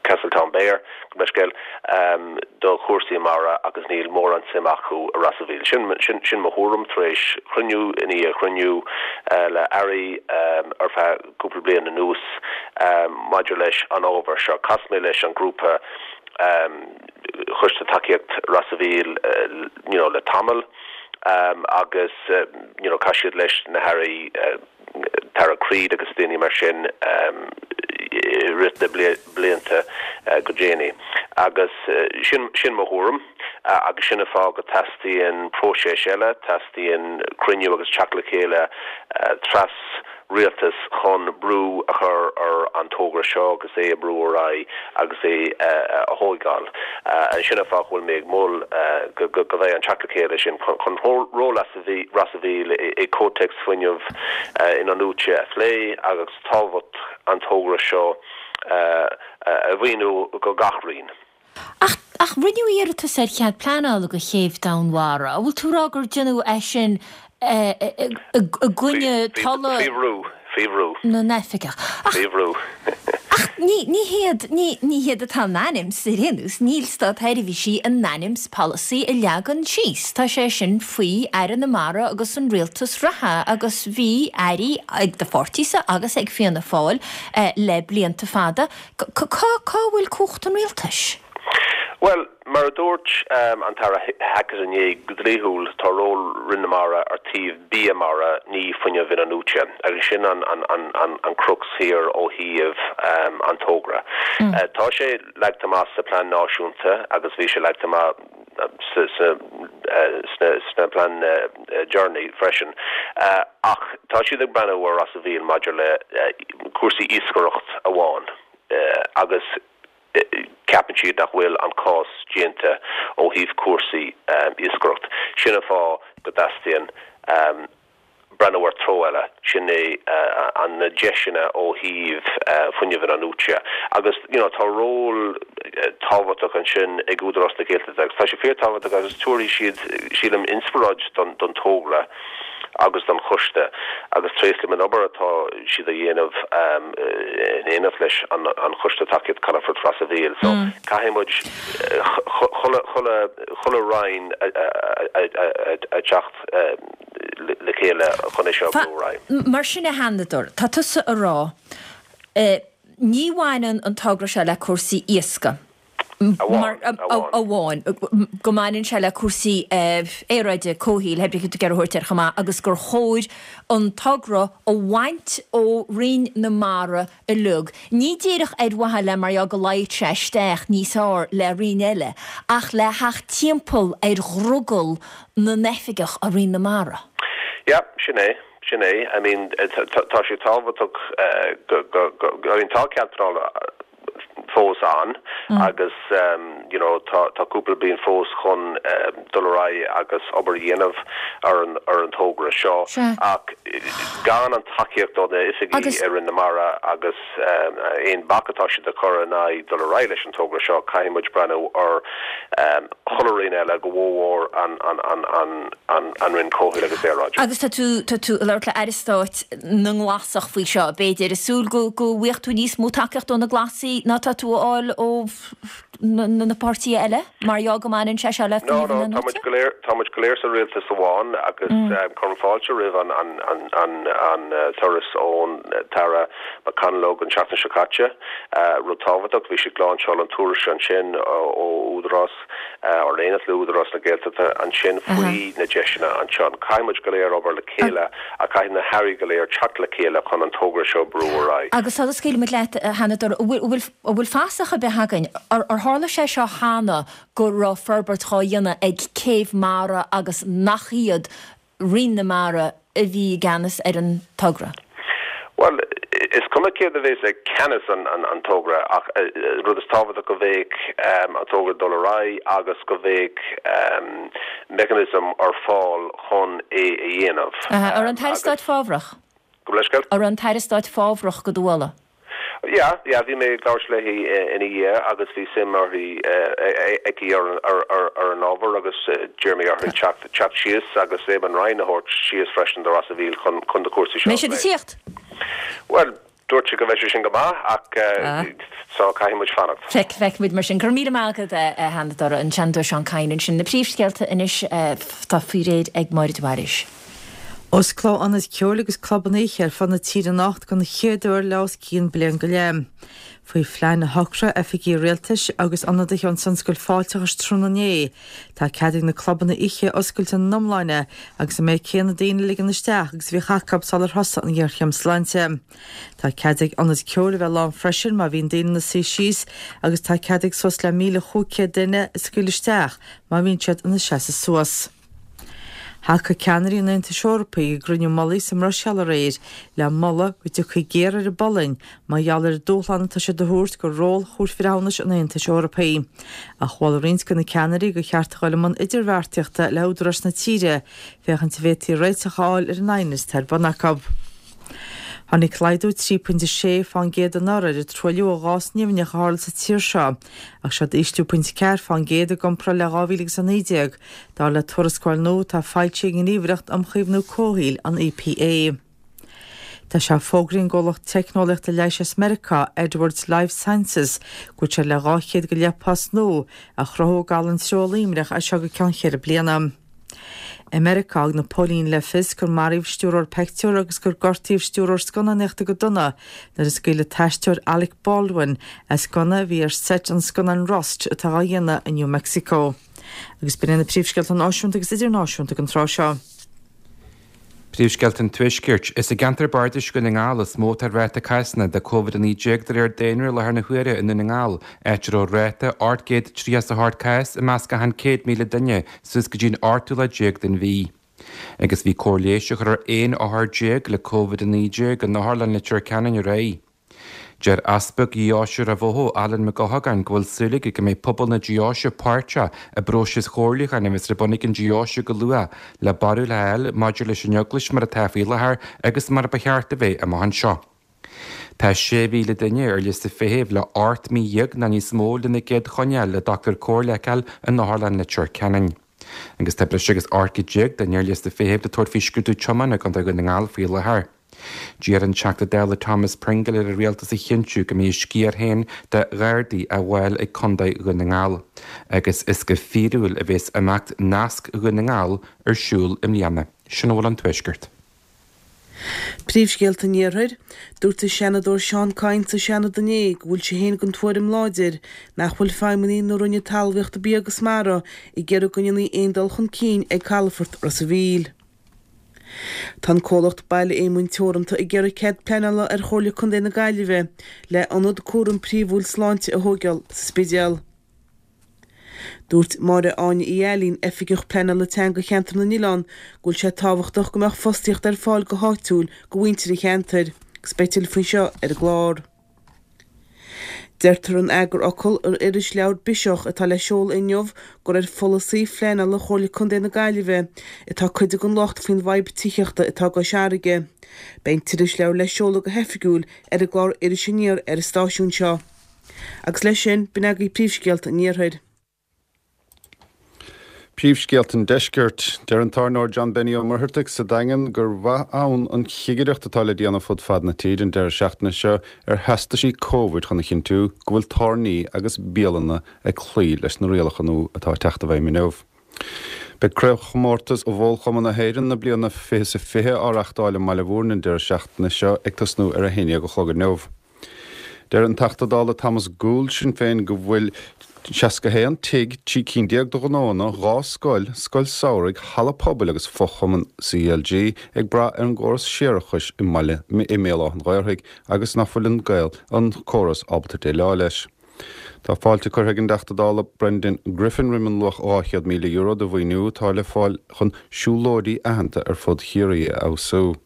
Castletownbere, gabh mo leithscéal, do chúrsaí mara agus níl mórán suim acu i Ros a' Mhíl. Sin, sin, sin mo thuairim tar éis chruinniú i ndiaidh chruinniú le airí ar feadh cúpla bliain anuas maidir leis an ábhar seo. Chas mé leis an grúpa Choiste Tacaíocht Ros a' Mhíl you know le tamall agus you know chas siad leis na hairí Tara Creed agus daoine mar sin i rith na blianta go déanaí. Agus sin, sin mo thuairim agus sin an fáth go teastaíonn próiseas eile, teastaíonn cruinniú agus teacht le chéile tras rialtas chun brú a chur ar an togra seo agus é a brú ar aghaidh agus é a thógáil. Sin an fáth go bhfuil mé ag mol go go mbeidh an teacht le chéile sin chun ról Ros a' Mhíl i gcomhthéacs fuinneamh in-athnuaite a phlé agus tábhacht an togra seo a mhíniú go gach roinn. Ach ach rinneadh iarratas ar chead pleanála do chéibh Domhainmhara. An bhfuil tú ag rá gur déanadh é sin i gcoinne tola Faoi bhrú, faoi bhrú. na n-oifigeach? Faoi bhrú. Ach ní ní hiad ní ní hiad atá in ainm is ar aon nós, níl státseirbhísí in ainm is polasaí a leagan síos. Tá sé sin faoi Aire na Mara agus an rialtas reatha agus bhí airí ag do pháirtísa agus ag Fianna Fáil le blianta fada. Cá cá bhfuil cumhacht an rialtais? Bhuel, mar a dúirt an tAire Hackett inné, go dlíthiúil tá ról Roinn na Mara ar taobh bia mara, ní fuinneamh in-athnuaite, agus sin an an an an an crux thiar ó thaobh an togra. Tá sé leagtha amach sa plean náisiúnta agus bhí sé leagtha amach sa sa sna sna plean deireanaí freisin, ach tá siad ag breathnú ar Ros a' Mhíl maidir le cúrsaí iascaireacht amháin agus ceapann siad nach bhfuil an cás déanta ó thaobh cúrsaí iascaireacht. Sin an fáth go dteastaíonn breathnú ar treo eile, sin é an na deiseanna ó thaobh fuinneamh in-athnuaite. Agus you know tá ról tábhachtach ansin ag Údarás na Gaeltachta agus tá sé fíorthábhachtach agus tabharfaidh siad sílim inspioráid don don togra agus don choiste agus tréaslaím an obair atá siad a dhéanamh in éineacht leis an an Choiste Tacaíocht Calafort Ros a' Mhíl. So caithfidh muid chuile chuile chuile roinn a teacht le chéile chun é seo a bhrú ar aghaidh. Mar sin a Sheanadóir, tá tusa a rá ní bhaineann an togra seo le cúrsaí iascaigh. amháin, go mbaineann sé le cúrsaí aeráide, comhshaoil, pé cé tú ag iarraidh a thabhairt air chomh maith, agus gur chóir an togra a bhaint ó Roinn na Mara uilig. Ní díreach ar mhaithe le mar go luífeadh sé isteach níos fearr le roinn eile, ach le theacht timpeall ar dhrogall na n-oifigeach i Roinn na Mara. Yeah, sin é. Sin é. I mean, tá sé tábhachtach go, go, go, I mean, tá cead pleanála fós ann agus you know tá tá cúpla bliain fós chun dul ar aghaidh agus obair a dhéanamh ar an ar an togra seo ach gan an tacaíocht ó na oifigigh i Roinn na Mara agus aon bac atá siad a chur in aghaidh dul ar aghaidh leis an togra seo caithfidh muid breathnú ar chuile roinn eile go mórmhór an an an an an an Roinn Comhshaoil agus Aeráide. Agus tá tú tá tú ag labhairt le Aire Stáit na nGlasach faoi seo, b'fhéidir, ag súil go go bhfaighidh tú níos mó tacaíocht ó na Glasaigh ná tá tú a fháil ó na páirtithe eile, mar gheall go mbaineann sé seo le No, no, tá muid go léir, tá muid go léir sa rialtas amháin agus cuirim fáilte roimh an an an an an turas ón tAire McConalogue an tseachtain seo caite. Rud tábhachtach, bhí sé ag lainseáil an tuairisc ansin ó Údarás ar éineacht le Údarás na Gaeltachta ansin faoi na deiseanna anseo. Caithfidh muid go léir obair le chéile ach caithfidh na hairí go léir teacht le chéile chun an togra seo a bhrú ar aghaidh. Agus sula scaoilfimid leat, a Sheanadóir, an bhfuil an bhfuil fasach ar bith againn, ar tharla sé seo cheana go raibh forbairt dhá dhéanamh ag céibh mara agus nach iad Roinn na Mara a bhí i gceannas ar an togra? Bhuel, is cuma céard a bheas ag ceannas an an togra ach rud is tábhachtach go mbeidh an togra ag dul ar aghaidh agus go mbeidh mechanism ar fáil chun é a dhéanamh. An raibh an tAire Stáit fábhrach? Gabh mo leithscéal? An raibh an tAire Stáit fábhrach do do mholadh? Yeah, yeah, bhí mé ag labhairt léi ina dhiaidh agus bhí suim uirthi, aici ar ar an ábhar agus d'iarr mé uirthi teacht teacht síos agus Eamon Ryan a thabhairt síos freisin do Ros a' Mhíl chun chun na cúrsaí seo a Mbeidh siad ag phlé. tíocht? Bhuel, dúirt sí go mbeidh sé sin go maith ach so caithfidh muid fanacht. Feic, feicfimid mar sin. Go raibh míle maith agat, a Sheanadóir, an Seanadóir Seán Kyne ansin. Na príomhscéalta anois tá faoi réir ag Máire de Bhailís. Osclóidh ionaid ceoil agus clubanna oíche ar fud na tíre anocht den chéad uair le os cionn bliain go leith. Faoi phlean a shocraigh oifigigh rialtais agus ionadaithe ón tionscal fáilteachais tráthnóna inné, tá cead ag na clubanna oíche oscailt ina n-iomláine agus an méid céanna daoine a ligean isteach agus a bhíodh acu sular thosaigh an ghéarchéim sláinte. Tá cead ag ionaid ceoil a bheith lán freisin má bhíonn daoine ina suí síos agus tá cead ag suas le míle chúig chéad duine a scaoileadh isteach má bhíonn siad ina seasamh suas. Thacaigh ceannairí an Aontais Eorpaigh i gcruinniú mullaigh sa mBruiséil aréir le moladh go dtiocfaí géar ar an bPolainn mar gheall ar an dúshlán atá siad a thabhairt do ról Chúirt Bhreithiúnais an Aontais Eorpaigh. Ach mhol roinnt de na ceannairí gur cheart a dhul i mbun idirbheartaíochta le húdaráis na tíre féachaint an bhféadfaí réiteach a fháil ar an aighneas atá ar bun acu. Tháinig laghdú trí pointe sé fán gcéad anuraidh ar an truailliú ó ghás nimhneach a tharla sa tír seo, ach seod ísliú pointe ceathair fán gcéad i gcomparáid le dhá mhíle agus a naoi déag, dar le tuarascáil nua atá foilsithe ag an nGníomhaireacht um Chaomhnú Comhshaoil, an EPA. Tá sé fógraithe ag an gcomhlacht teicneolaíochta leighis as Meiriceá, Edwards Lifesciences, go bhfuil sé le dhá chéad go leith post nua a chruthú i gCathal an Treo Luimneach as seo go ceann cheithre bliana. I Meiriceá, thug na póilíní le fios gur maraíodh stiúrthóir peictiúr agus gur gortaíodh stiúrthóir scannánaíochta go dona nuair a scaoil an t-aisteoir Alec Baldwin as gunna a bhí ar seit an scannáin Rust atá á dhéanamh i New Mexico. Agus b'in iad na príomhscéalta náisiúnta agus idirnáisiúnta don tráth seo. Príomhscéalta an Tuaiscirt. Is i gceantar bardais Dhún na nGall is mó atá ráta cásanna de Covid a naoi déag de réir daonra i láthair na huaire i nDún na nGall, áit a raibh ráta ocht gcéad tríocha is a hocht cás i measc achan céad míle duine suas go dtí an ochtú lá déag den mhí. Agus bhí cóir leighis á chur ar aon othar déag le Covid a naoi déag in Otharlann Leitir Ceanainn aréir. Deir Easpag Dheoise Ráth Bhoth, Alan Mac Eochagáin, go bhfuil súil aige go mbeidh pobal na deoise páirteach i bpróiseas chomhairliúcháin a bheas ar bun ag an deoise go luath le barúil a fháil maidir leis an Eaglais mar atá faoi láthair agus mar ba cheart a bheith amach anseo. Tá sé mhíle duine ar liosta feithimh le hocht mí dhéag nó níos mó lena gcéad choinneáil le dochtúir cóir le feiceáil in Otharlann Leitir Ceanainn. Agus tá breis agus ocht gcéad déag duine ar liosta feithimh le tabhairt faoi scrúdú tiomána i gContae Dhún na nGall faoi láthair. D'iarr an Teachta Dála Thomas Pringle ar an Rialtas a chinntiú go mbeidh a sciar féin de Ghardaí á bhfáil ag Contae Dhún na nGall agus is go fíorúil a bheas imeacht Nasc Dhún na nGall ar siúl i mbliana. Sin a bhfuil ón Tuaisceart. Príomhscéalta an Iarthair, Dúirt an Seanadóir Seán Kyne sa Seanad inné go bhfuil sé féin den tuairim láidir nach bhfuil feidhmeannaigh na Roinne Talmhaíochta Bia agus Mara ag iarraidh go ndéanfaí aon dul chun cinn ag calafort Ros a' Mhíl. Tá an comhlacht Baile Éamoinn Teoranta ag iarraidh cead pleanála ar Chomhairle Contae na Gaillimhe le ionad cúram príomhúil sláinte a thóigeáil sa Spidéal. Dúirt Máire Áine Uí Ailín, Oifigeach Pleanála Teanga Cheantar na nOileán, go bhfuil sé tábhachtach go mbeadh fostaíocht ar fáil go háitiúil go mhuintir an cheantair, agus beidh tuilleadh faoi seo ar an gclár. Deirtear in eagarfhocal ar irisleabhar Biseach atá le seoladh inniu gur ar pholasaí phleanála Chomhairle Contae na Gaillimhe atá cuid den locht faoin bhfadhb tithíochta atá i gCois Fharraige. Beidh an t-irisleabhar le seoladh go hoifigiúil ar an gclár Iris Aniar ar an stáisiún seo. Agus leis sin, b'in agaibh príomhscéalta an Iarthair. Príomhscéalta an Deiscirt. Deir an tábhairneoir John Benny Ó Muircheartaigh sa Daingean gur mhaith ann an chigireacht atá le déanamh fud fad na tíre an deireadh seachtaine seo ar theastaisí Covid chun a chinntiú go bhfuil tábhairní agus bialanna ag cloí leis na rialacha nua atá ag teacht i bhfeidhm inniu. Beidh Craobhchomórtas Bhólchumann na hÉireann na bliana fiche is a fiche á reachtáil i mBaile Mhúirne an deireadh seachtaine seo ag tosnú ar a haon déag a chlog inniu. Deir an Teachta Dála Thomas Gould, Sinn Féin, go bhfuil seasca a haon tigh, trí cinn déag de ghnóanna, dhá scoil, scoil samhraidh, halla pobail agus fo-chumann C L G ag brath ar an gcóras séarachais i mbaile i mBéal Átha an Ghaorthaidh agus nach bhfuil an gaol an córas ábalta déileáil leis. Tá fáilte curtha ag an dTeachta Dála Brendan Griffin roimh an luach dhá chéad míle euro de mhaoiniú atá le fáil chun siúlóidí aitheanta ar fud Chiarraí a fheabhsú.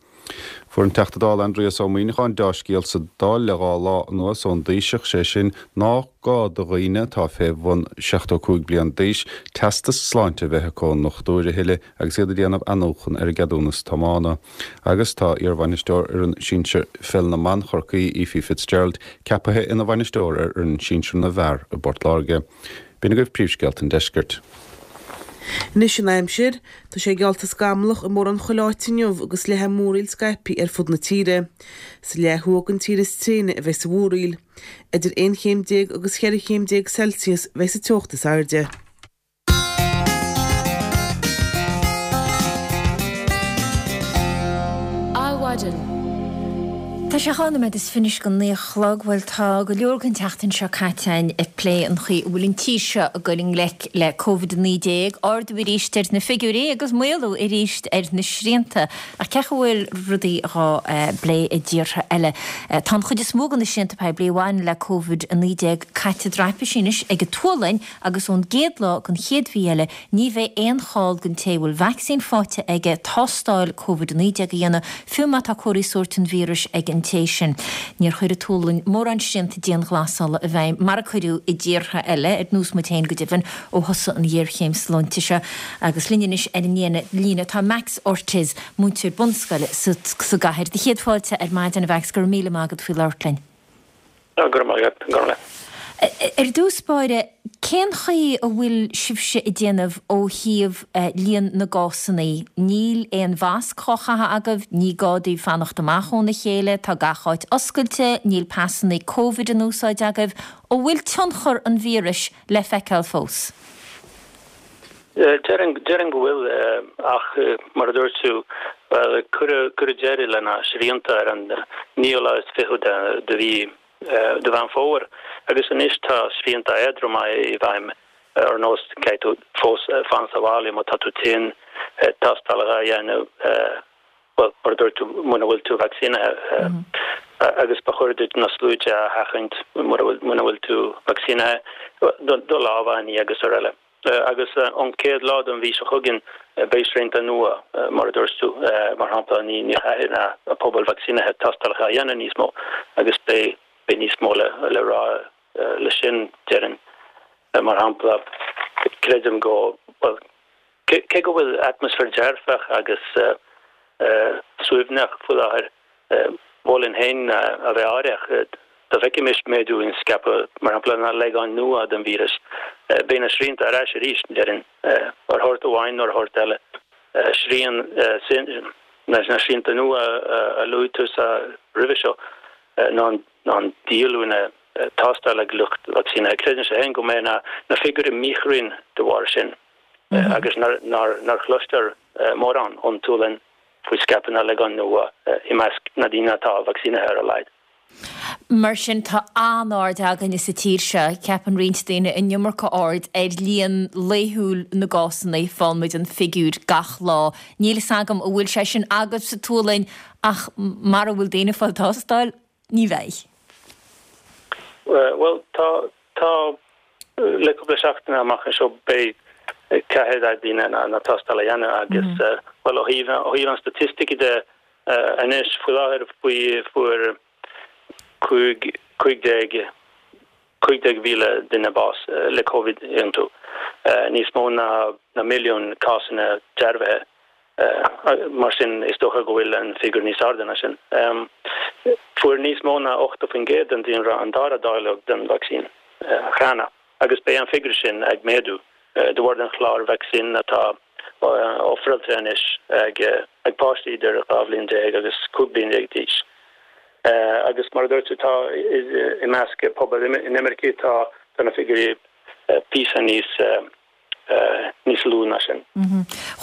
Fuair an Teachta Dála Aindrias Ó Muimhneacháin deá-scéal sa Dáil le dhá lá anuas ón dTaoiseach, sé sin nach gá do dhaoine atá fé bhun seachtó cúig bliain d'aois teastas sláinte a bheith acu ón ndochtúir a thuilleadh agus iad ag déanamh athnuachan ar a gceadúnas tiomána. Agus tá iarbhainisteoir fhoireann sinsir pheil na mban Chorcaí, Ephie Fitzgerald, ceapaithe ina bhainisteoir ar fhoireann sinsir na bhfear i bPort Láirge. B'in agaibh príomhscéalta an deiscirt. Anois an aimsir. Tá sé geallta scamallach i mórán chuile áit inniu agus leathfaidh múraíl scaipthe ar fud na tíre. Sa leath thuaidh den tír is tréine a bheidh an mhúraíl. Idir aon chéim déag agus cheithre chéim déag Celsius a bheidh sa teocht is airde. Adhmhaidin. Tá sé dhá nóiméad is fiche anois go naoi a chlog. Bhuel, tá go leor den tseachtain seo caite againn ag plé an chaoi a bhfuil an tír seo ag dul i ngleic le Covid a naoi déag, ardú arís ar na figiúirí agus maolú arís ar na srianta. Ach cén chaoi a bhfuil rudaí dhá bplé i dtíortha eile? Tá an chuid is mó de na srianta poiblí a bhain le Covid a naoi déag caite i dtraipisí anois ag an tSualainn agus ón gcéad lá den chéad mhí eile ní bheidh aon chall don té a bhfuil vacsaín faighte aige tástáil Covid a naoi déag a dhéanamh, fiú má tá comharthaí sóirt an víris ag an té sin. Níor chuir an tSualainn mórán srianta dianghlasála i bhfeidhm, mar a cuireadh i dtíortha eile, ar nós muid féin go deimhin, ó thosaigh an ghéarchéim sláinte seo. Agus linn anois ar an líne tá Max Ortiz, múinteoir bunscoile sa gcathair. Do chéad fáilte ar maidin, a Mhax, go raibh míle maith agat faoi labhairt linn. Go raibh maith agat, a Ghormfhlaith. Ar dtús báire, cén chaoi a bhfuil sibhse ag déanamh ó thaobh líon na gcásanna? Níl aon mhasc á chaitheamh agaibh, ní gá daoibh fanacht amach óna chéile, tá gach áit oscailte, níl pasanna Covid in úsáid agaibh. An bhfuil tionchar an víris le feiceáil fós? Déarfainn go bhfuil, ach mar a dúirt tú, bhuel, cuireadh deireadh le na srianta ar an naoú lá is fiche de mhí de Mheán Fómhair agus anois tá srianta éadroma i bhfeidhm ar nós caithfidh tú fós fan sa bhaile má tá tú tinn, tástálacha a dhéanamh, bhuel, mar a dúirt tú, muna bhfuil tú vacsaínithe agus ba chóir duit na sluaite a sheachaint mura bhfuil tú vacsaínithe, do lámha a ní agus araile. Agus ón chéad lá den mhí seo chugainn beidh srianta nua, mar a dúirt tú, mar shampla ní chaithfidh na pobail vacsaínithe tástálacha a dhéanamh níos mó agus beidh níos mó le rá le sin, déarfainn. Mar shampla, creidim go, bhuel, cé go bhfuil atmaisféar dearfach agus suaimhneach faoi láthair, mholfainn féin a bheith aireach. Dá bhfeicfimis méadú in scaipeadh, mar shampla, na leagáin nua den víreas, beidh na srianta ar ais arís, déarfainn, ar shórt amháin nó ar shórt eile. Srian, na srianta nua a luaigh tusa roimhe seo, ná an díolúine tástála ag lucht vacsaínithe. Creidimse féin go mbeidh na figiúirí míchruinn de bharr sin agus nár chloistear mórán ón tSualainn faoi scaipeadh na leagán nua i measc na ndaoine atá vacsaínithe ar a laghad. Mar sin, tá an-aird againne sa tír seo, ceapann roinnt daoine, an iomarca aird ar líon laethúil na gcásanna, faigheann muid an figiúr gach lá. Níl fhios agam an bhfuil sé sin agaibh sa tSualainn ach mara bhfuil daoine ag fáil tástáil, ní bheidh. Bhuel, tá, tá, le cúpla seachtain amach anseo beidh, caithfidh daoine na tástáil a dhéanamh agus, bhuel, ó thaobh, ó thaobh an staitistice de anois, faoi láthair, faoi, fuair, cúig cúig déag cúig déag mhíle duine bás le Covid iontu, níos mó ná ná milliún cásanna dearbhaithe. Mar sin, is dócha go bhfuil an figiúr níos airde ná sin. Fuair níos mó ná ochtó faoin gcéad den daonra an dara dáileog den vacsaín cheana agus beidh an figiúr sin ag méadú de bharr den chlár vacsaín atá ofráilte anois ag ag páistí idir dhá bhliain déag agus cúig bliain déag d'aois. Agus mar a dúirt tú, tá i measc pobal inimircigh, tá na figiúirí píosa níos níos lú ná sin.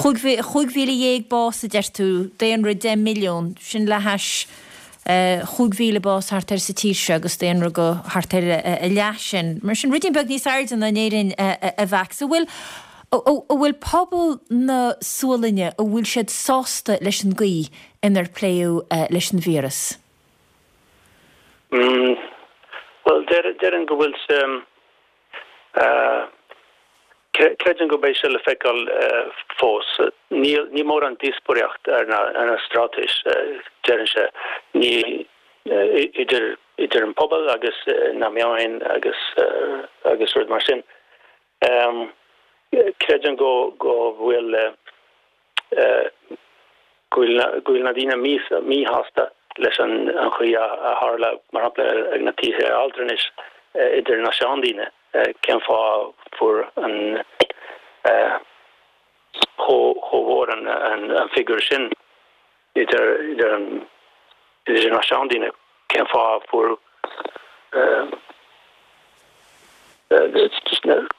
Chúig mhíle dhéag bás, a deir tú, daonra deich milliún, sin le hais chúig mhíle bás thart ar sa tír seo agus daonra go thart ar a leath sin. Mar sin, ruidín beag níos airde ná in Éirinn a Mhax. An bhfuil an bhfuil pobal na Sualainne, an bhfuil siad sásta leis an gcaoi inar pléadh leis an víreas? Bhuel, déarfainn go bhfuil sé, creidim go mbeidh sé le feiceáil fós. Níl, ní mórán díospóireacht ar na, ar na straitéis, déarfainnse, ní, idir, idir an pobal agus na meáin agus, agus rud mar sin. Creidim go bhfuil go bhfuil na daoine míshásta leis an chaoi a tharla, mar shampla, ag na tithe altranais idir na seandaoine, cén fáth fuair an chomh mhór an figiúr sin idir an idir na seandaoine, cén fáth fuair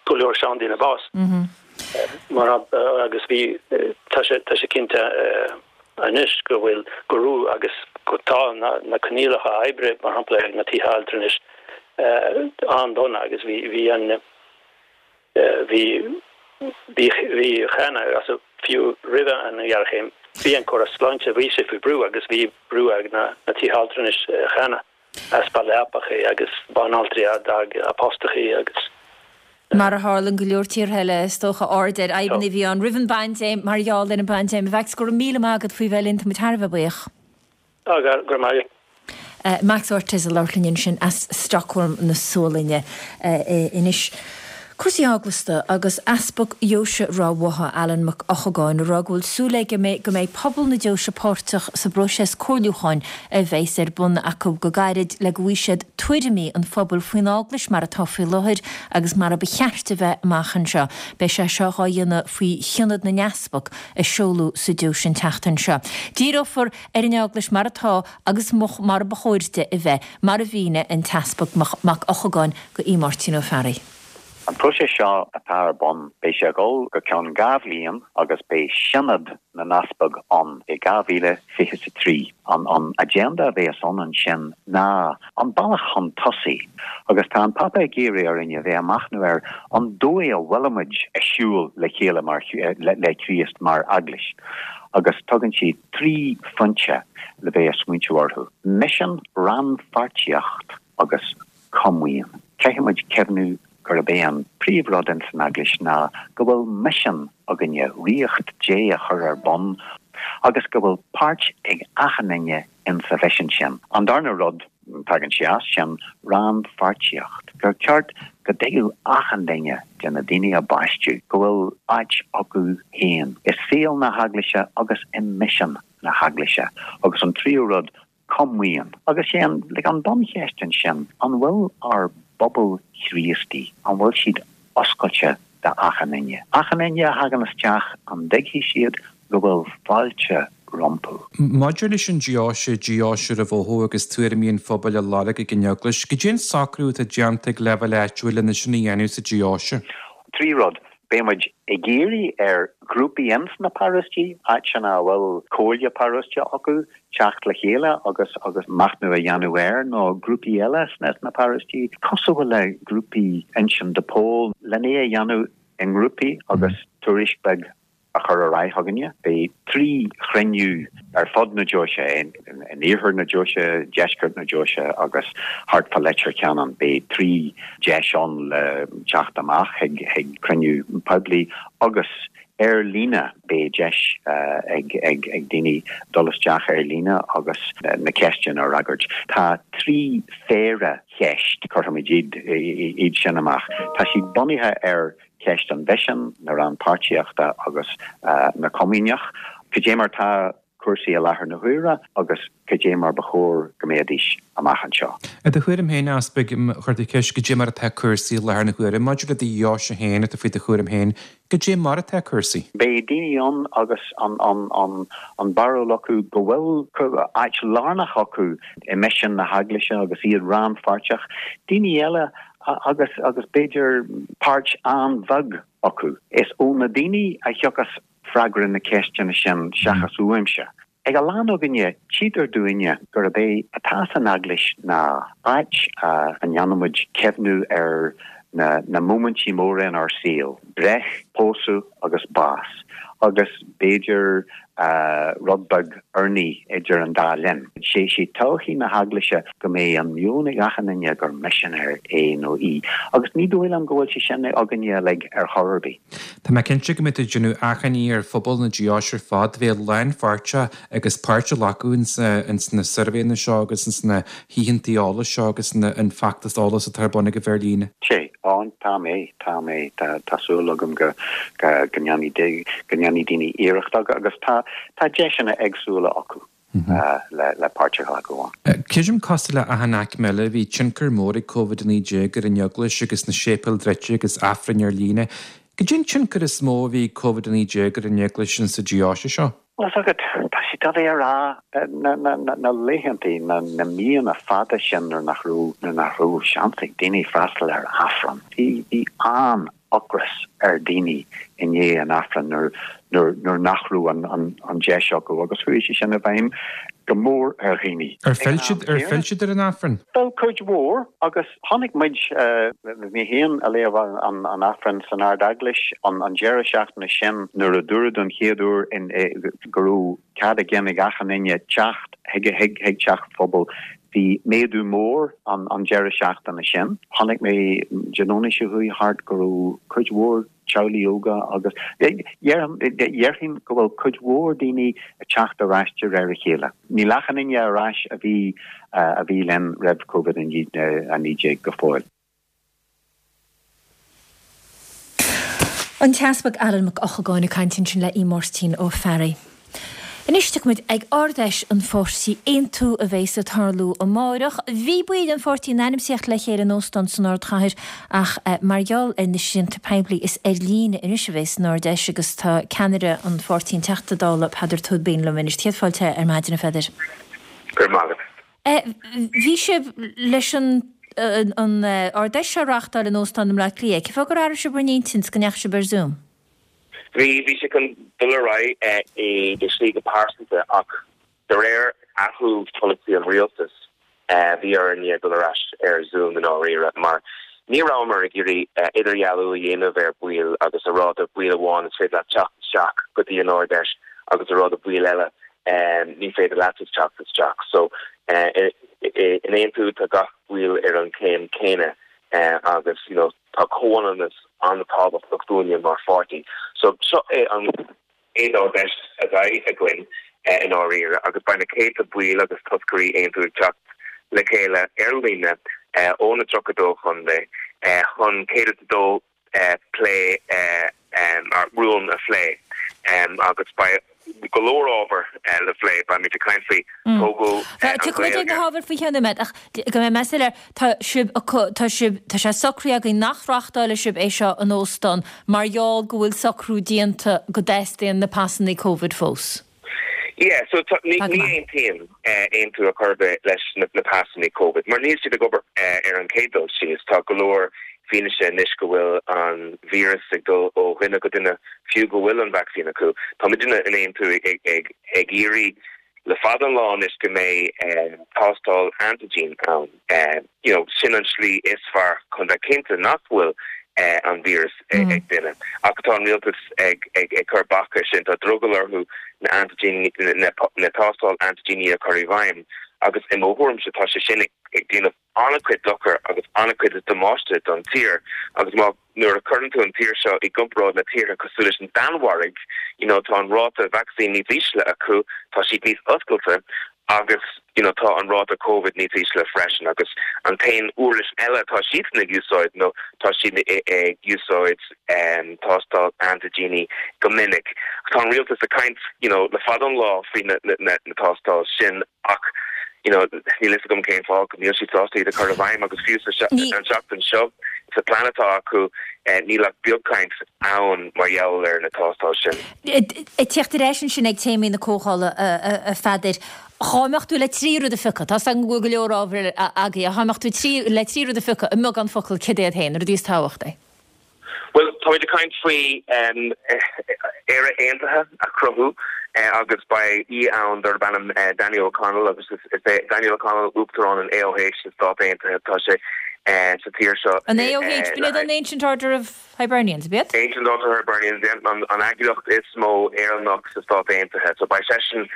go leor seandaoine bás. Mar agus bhí, tá sé, tá sé cinnte anois go bhfuil, go raibh agus go tá na coinníollacha oibre, mar shampla, ag na tithe altranais an-dona agus bhí, bhí an, bhí, bhí, bhí cheana, fiú roimhe an ghéarchéim, bhí an córas sláinte, bhí sé faoi bhrú agus bhí brú ag na tithe altranais cheana, easpa leapacha agus banaltraí a d'fhág a bpostachaí agus. Mar a tharla in go leor tíortha eile, is dócha, aird ar fhadhbanna a bhí ann roimh an bpaindéim mar gheall ar an bpaindéim. A Mhacs, go raibh míle maith agat faoi bheith linn, tá muid thar a bheith buíoch. Go raibh maith agat. Max Ortiz ag labhairt linn ansin as Stockholm na Sualainne. Anois, cúrsaí eaglasta agus Easpag Dheoise Ráth Bhotha, Alan Mac Eochagáin, ag rá go bhfuil súil aige go mbeidh pobal na deoise páirteach sa bpróiseas comhairliúcháin a bheas ar bun acu go gairid le go bhfaighidh siad tuairimí an phobail faoin Eaglais mar atá faoi láthair agus mar a ba cheart a bheith amach anseo. Beidh sé seo dhá dhéanamh faoi Shionad na nEaspag a seoladh sa deoise an tseachtain seo. Díreofar ar an Eaglais mar atá agus mar ba chóir di a bheith, mar a mhínigh an tEaspag Mac Eochagáin do Aodh Máirtín Ó Fearraigh. An próiseas seo atá ar bun, beidh sé ag dul go ceann dhá bhliain agus beidh Sionad na nEaspag ann i dhá mhíle fiche is a trí. An an agenda a bheas ann ansin ná an bealach chun tosaigh agus tá an Pápa ag iarraidh orainn a bheith ag machnamh ar an dóigh a bhfuilimid ag siúl le chéile mar le Críost mar Eaglais agus tugann sé trí phointe le bheith ag smaointiú orthu, misean, rannpháirtíocht agus comaoin. Caithfimid cuimhniú gurb é an príomhrud ins an Eaglais ná go bhfuil misean againne, Ríocht Dé a chur ar bun agus go bhfuil páirt ag achan duine ins a mhisean sin. An darna rud, tagann sé as sin, rannpháirtíocht, gur ceart go dtuigfeadh achan duine de na daoine a baisteadh go bhfuil áit acu féin i saol na hEaglaise agus i misean na hEaglaise. Agus an tríú rud, comaoin. Agus sé an, like, an buncheist ansin, an bhfuil ár bpobal Chríostaí, an bhfuil siad oscailte d'achan duine? Achan duine a thagann isteach, an dtuigfidh siad go bhfuil fáilte rompu? Maidir leis an deoise, deoise Ráth Bhotha agus tuairimí an phobail a lorg ag an Eaglais, goidé an socrú atá déanta ag leibhéal áitiúil lena sin a dhéanamh sa deoise? Trí rud. Beidh muid ag iarraidh ar ghrúpaí ins na paróistí, áiteanna a bhfuil comhairle paróiste acu, teacht le chéile agus agus machnamh a dhéanamh air, nó grúpaí eile sna sna paróistí, cosúil le grúpaí Uinseann de Pól, len é a dhéanamh i ngrúpaí agus tuairisc beag a chur ar aghaidh chugainne. Beidh trí chruinniú ar fud na deoise, in iarthar na deoise, deisceart na deoise agus thart fá Leitir Ceanainn. Beidh trí deis ann le teacht amach chuig chuig cruinniú poiblí agus ar líne. Beidh deis ag ag ag daoine dul isteach ar líne agus na ceisteanna a fhreagairt. Tá trí phéire cheist, cuirfimid iad iad sin amach. Tá siad bunaithe ar ceist an mhisin, na rannpháirtíochta agus na comaoineach, cad é mar tá cúrsaí i láthair na huaire agus cad é mar ba chóir go mbeidís amach anseo. I do thuairim féin, a Easpaig, chuir tú ceist cad é mar atá cúrsaí i láthair na huaire. Maidir le do dheoise féin atá faoi do chúram féin, cad é mar atá cúrsaí? Beidh daoine ann agus an barúil acu go bhfuil áit lárnach acu i misean na hEaglaise agus iad rannpháirteach. Daoine eile agus agus b'fhéidir páirt an-bheag acu. Is ó na daoine a thiocfas freagra na ceisteanna sin seachas uaimse. Ag a lán againne, tchítear dúinne gurb é atá san Eaglais ná áit a ndéanaimid cuimhniú ar na na móimintí móra inár saol, breith, pósadh agus bás, agus b'fhéidir rud beag urnaí idir an dá linn. Sé sé todhchaí na hEaglaise go mbeidh an meon ag achan duine gur misinéir é nó í, agus ní dóigh liom go bhfuil sé sin againne uilig ar chor ar bith. Tá mé cinnte go mbeidh tú ag déanamh achainí ar phobal na deoise ar fad bheith lánpháirteach agus páirt a ghlacadh ins na suirbhéanna seo agus ins na hoícheanta eolais seo agus an feachtas eolais atá ar bun agaibh ar líne. Sé, á, tá mé, tá mé, tá, tá súil agam go, go, go ndéanfaidh, go ndéanfaidh daoine iarracht agus tá, tá deiseanna éagsúla acu le, le páirt a ghlacadh ann. Creidim cosúil le achan aicme eile, bhí tionchar mór ag Covid a naoi déag ar an Eaglais agus na séipéil druidte agus Aifrinn ar líne. Cad é an tionchar is mó a bhí ag Covid a naoi déag ar an Eaglais insa deoise seo? Bhuel, tá agat, tá sé doiligh a rá, na, na, na, na laethantaí, na, na míonna fada sin nuair nach raibh, nuair nach raibh seans ag daoine freastal ar Aifreann, bhí, bhí an, ocras ar daoine i ndiaidh an Aifrinn nuair nuair nuair nach raibh an an an deis acu agus chuaigh sé sin i bhfeidhm go mór ar dhaoine. Ar phill siad ar phill siad ar an Aifreann? Bhuel cuid mhór agus chonaic muid mé féin ag léamh an an Aifreann san Ard-Eaglais an an deireadh seachtaine sin nuair a dúradh don chéad uair in go raibh cead ag ag achan duine teacht chuig chuig chuig teach phobail Bhí méadú mór an an deireadh seachtaine sin. Chonaic mé Dé Domhnaigh seo chuaigh thart go raibh cuid mhór teaghlaigh óga agus déarfainn go bhfuil cuid mhór daoine ag teacht ar ais de réir a chéile. Níl achan duine ar ais a bhí a bhí linn roimh Covid a naoi déag go fóill. An tEaspag Alan Mac Eochagáin ag caint ansin le Aodh Máirtín Ó Fearraigh. Anois tiocfaimid ag Ard-Fheis an pháirtí Aontú a bheas ag tarlú amáireach. Bhí baill an pháirtí in ainm is a theacht le chéile in óstán san ardchathair ach mar gheall ar na srianta poiblí is ar líne anois a bheas an Ard-Fheis agus tá ceannaire an pháirtí an Teachta Dála Peadar Tóibín liom anois. Céad fáilte ar maidin a Pheadair. Go raibh maith agat. Bhí sibh leis an an Ard-Fheis seo a reáchtáil in óstán i mBleá Cliath. Cén fáth gur athraigh sibh bhur n-intinn 's go ndeachaigh sibh ar Zoom? Bhí, bhí sé chun dul ar aghaidh i slí go pearsanta ach de réir athrú polasaí an rialtais bhí orainn dul ar ais ar Zoom i ndáiríre mar ní rabhamar ag iarraidh idirdhealú a dhéanamh ar baill agus a rá do bhaill amháin is féidir leat teacht isteach go dtí an Ard-Fheis agus a rá do bhaill eile ní féidir leat teacht isteach. So in Aontú tá gach baill ar an chéim céanna agus you know tá comhionannas an-tábhachtach dúinne mar pháirtí. So seo é an chéad Ard-Fheis a bheidh againn i ndáiríre agus beidh na céadta baill agus toscairí Aontú ag teacht le chéile ar líne ó na tríocha dó chontae chun céad is a dó plé rún a phlé agus beidh go leor ábhar le plé. Beimid ag caint faoi tógáil an Tiocfaidh muid ag na Ghaeilge. hábhair faoi cheann nóiméad ach go mbeidh mé soiléir, tá sibh, tá sibh, tá sé socraithe againn nach reáchtálfaidh sibh é seo in óstán mar gheall go bhfuil socrú déanta go dteastaíonn na pasanna Covid fós. Yeah, so tá, ní, Tá go ní maith. aontaíonn Aontú ar chor ar bith leis na, na pasanna Covid mar níl siad ag obair ar an chéad dul síos. Tá go leor fianaise anois go bhfuil an víreas ag dul ó dhuine go duine fiú go bhfuil an vacsaín acu. Tá muidne in Aontú ag, ag, ag, ag iarraidh le fada an lá anois go mbeidh tástáil antigen ann. You know, sin an slí is fearr chun bheith cinnte nach bhfuil an víreas ag duine. Ach tá an rialtas ag ag ag cur bac air sin. Tá drogall orthu na antigen na na tástáil antigíní a chur i bhfeidhm agus i mo thuairimse tá sé sin ag ag déanamh an-chuid dochar agus an-chuid damáiste don tír agus má nuair a chuireann tú an tír seo i gcomparáid le tíortha cosúil leis an Danmhairg, you know, tá an ráta vacsaín níos ísle acu, tá siad níos oscailte agus you know, tá an ráta Covid níos ísle freisin agus an t-aon uirlis eile atá siadsan ag úsáid nó tá siad ag úsáid um, tástáil antigíní go minic. Tá an rialtas ag caint you know, le fada an lá faoi na, na, na, na tástáil sin ach you know, níl fhios agam cén fáth go níl siad sásta iad a chur i bhfeidhm agus fiú sa Ní. an seachtain seo sa plean atá acu eh, níl ach beagchaint ann mar gheall ar na tástáil sin. Ag teacht ar ais ansin ag téamaí na comhdhála a Pheadair, dhá mbeadh tú le trí rud a phiocadh, tá 's agam go bhfuil go leor ábhar agaibh, ach dhá mbeadh tú trí le trí rud a phiocadh i mbeagán focal cad iad féin, na rudaí is tábhachtaí? Bhuel, táimid ag caint faoi Éire Aontaithe a chruthú agus beidh aoi ann darb ainm Daniel O'Connell agus is é Daniel O'Connell Uachtarán an AOH sa Stát Aontaithe. Tá sé sa tír seo. An AOH, b'in iad an Ancient Order of Hibernians, ab iad? Ancient Order of Hibernians, an an eagraíocht is mó Éireannach sa Stát Aontaithe. So beidh seisean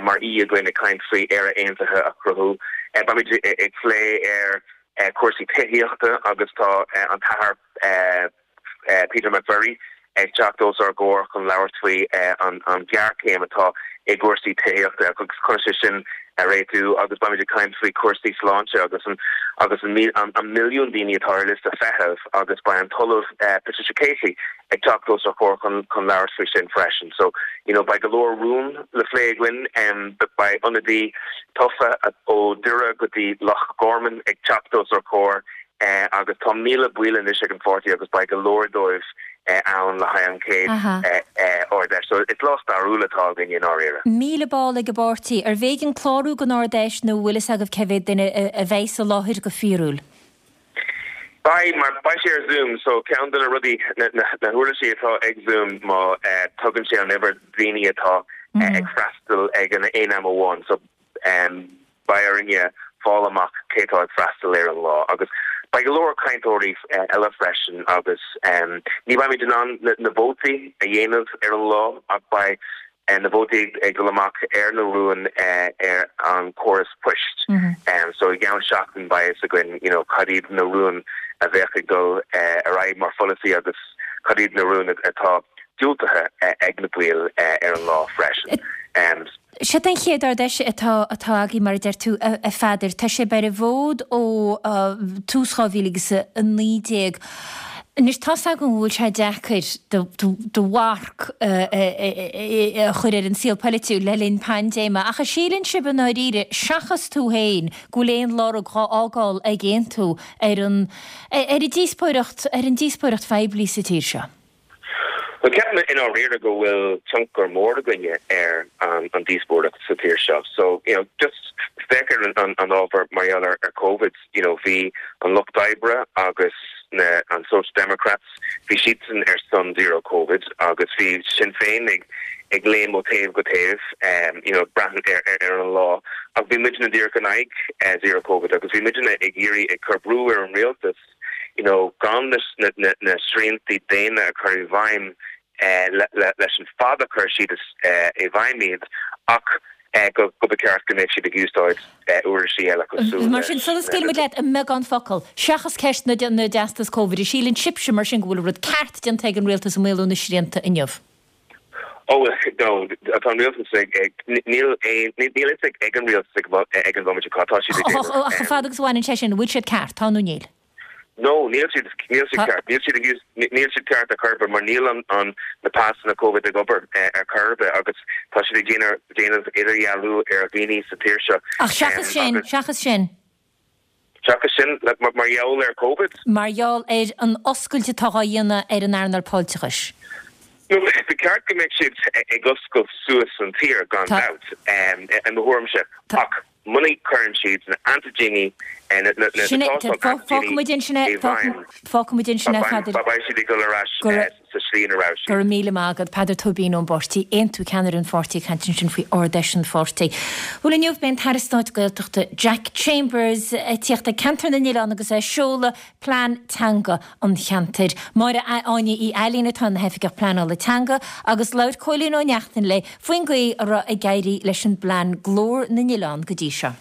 mar aoi againn ag caint faoi Éire Aontaithe a chruthú. Beimid ag plé ar cúrsaí tithíochta agus tá an tAthair Peter McVerry ag teacht os ár gcomhair chun labhairt faoi an ghéarchéim atá i gcúrsaí tithíochta agus conas é sin a réitiú agus beimid ag caint faoi chúrsaí sláinte agus an agus an an milliún daoine atá ar liosta feithimh agus beidh an tOllamh Patricia Casey ag teacht os ár gcomhair chun chun labhairt faoi sin freisin. So you know beidh go leor rún le plé againn beidh ionadaí tofa ó Doire go dtí Loch Gorman ag teacht os ár gcomhair agus tá míle baill anois ag an pháirtí agus beidh go leor dóibh ann le haghaidh an chéad Ard-Fheis. So is lá stairiúil atá againn i ndáiríre. Míle ball ag an bpáirtí. Arbh éigean clárú don Ard-Fheis nó bhfuil fhios agaibh cé mhéad duine a bheidh sa láthair go fíorúil? Beidh, mar beidh sé ar Zoom, so ceann de na rudaí, na huirlisí atá ag Zoom má tugann sé an uimhir daoine atá ag freastal ag an aon am amháin, so beidh orainne fáil amach cé atá ag freastal ar an lá. Agus beidh go leor cainteoirí eile freisin agus ní bheimid in ann na vótaí a dhéanamh ar an lá ach beidh na vótaí ag dul amach ar na rúin ar an córas poist. So i gceann seachtain beidh fhios againn you know cad iad na rúin a bheadh ag dul ar aghaidh mar pholasaí agus cad iad na rúin atá diúltaithe ag na baill ar an lá freisin. Seo an chéad Ard-Fheis atá atá agaibh, mar a deir tú, a Pheadair. Tá sé ar an bhfód ó tús dhá mhíle agus a naoi déag. Anois, tá's agam go bhfuil sé deacair do mharc a chur ar an saol polaitiúil le linn paindéime, ach an síleann sibh i ndáiríre, seachas tú féin, go bhfuil aon lorg dhá fhágáil ag Aontú ar an ar an díospóireacht ar an díospóireacht phoiblí sa tír seo? Bhuel, ceapaim i ndáiríre go bhfuil tionchar mór againne ar an díospóireacht sa tír seo. So, you know, just féach ar an ábhar mar gheall ar Covid, you know, bhí an Lucht Oibre agus na an Social Democrats, bhí siadsan ar son zero Covid agus bhí Sinn Féin ag ag léim ó taobh go taobh, you know, braitheann ar ar an lá. Ach bhí muidne díreach in aghaidh zero Covid agus bhí muidne ag iarraidh ag cur brú ar an rialtas, you know, gan na na na sriantaí déine a chur i bhfeidhm leis an fad a chuir siad i bhfeidhm iad ach go go ba cheart go mbeadh siad ag úsáid uirlisí eile cosúil Mar sin, sula scaoilfidh muid leat i mbeagán focal, seachas ceist na na dteastas Covid, an síleann sibhse mar sin go bhfuil an rud ceart déanta ag an rialtas ag maolú na srianta inniu? Oh no, tá an rialtas ag níl aon níl fhios ag an rialtas ag an bhomaite cad tá siad ag déanamh. Ach chomh fada agus a bhaineann sé sin, an bhfuil siad ceart, tá nó níl? No, níl siad níl siad ceart, níl siad ag níl siad ceart ar chor ar bith mar níl an an na pasanna Covid ag obair ar chor ar bith agus tá siad ag déanamh déanamh idirdhealú ar dhaoine sa tír seo. Ach seachas sin, seachas sin. Seachas sin, mar gheall ar Covid? Mar gheall ar an oscailt atá á dhéanamh ar an earnáil fáilteachais. Ba cheart go mbeadh siad ag oscailt suas an tír, gan dabht, i mo thuairimse, ach muna gcuireann siad na antaiginí, na tástáil antaigíní i bhfeidhm, beidh siad ag dul ar ais sa slí ina raibh siad. Go raibh míle maith agat, Peadar Tóibín ón bpáirtí Aontú, ceannaire an pháirtí ag caint ansin faoi Ard-Fheis an pháirtí. Bhuel inniu beidh an tAire Stáit Gaeltachta Jack Chambers ag tíocht ag Ceantar na nOileán agus é ag seoladh plean teanga an cheantair. Máire Áine Uí Ailín atá ina hOifigeach Pleanála Teanga agus labhair Cóilín Ó Neachtain léi faoin gcaoi a raibh ag éirí leis an bplean Glór na nOileán go dtí seo.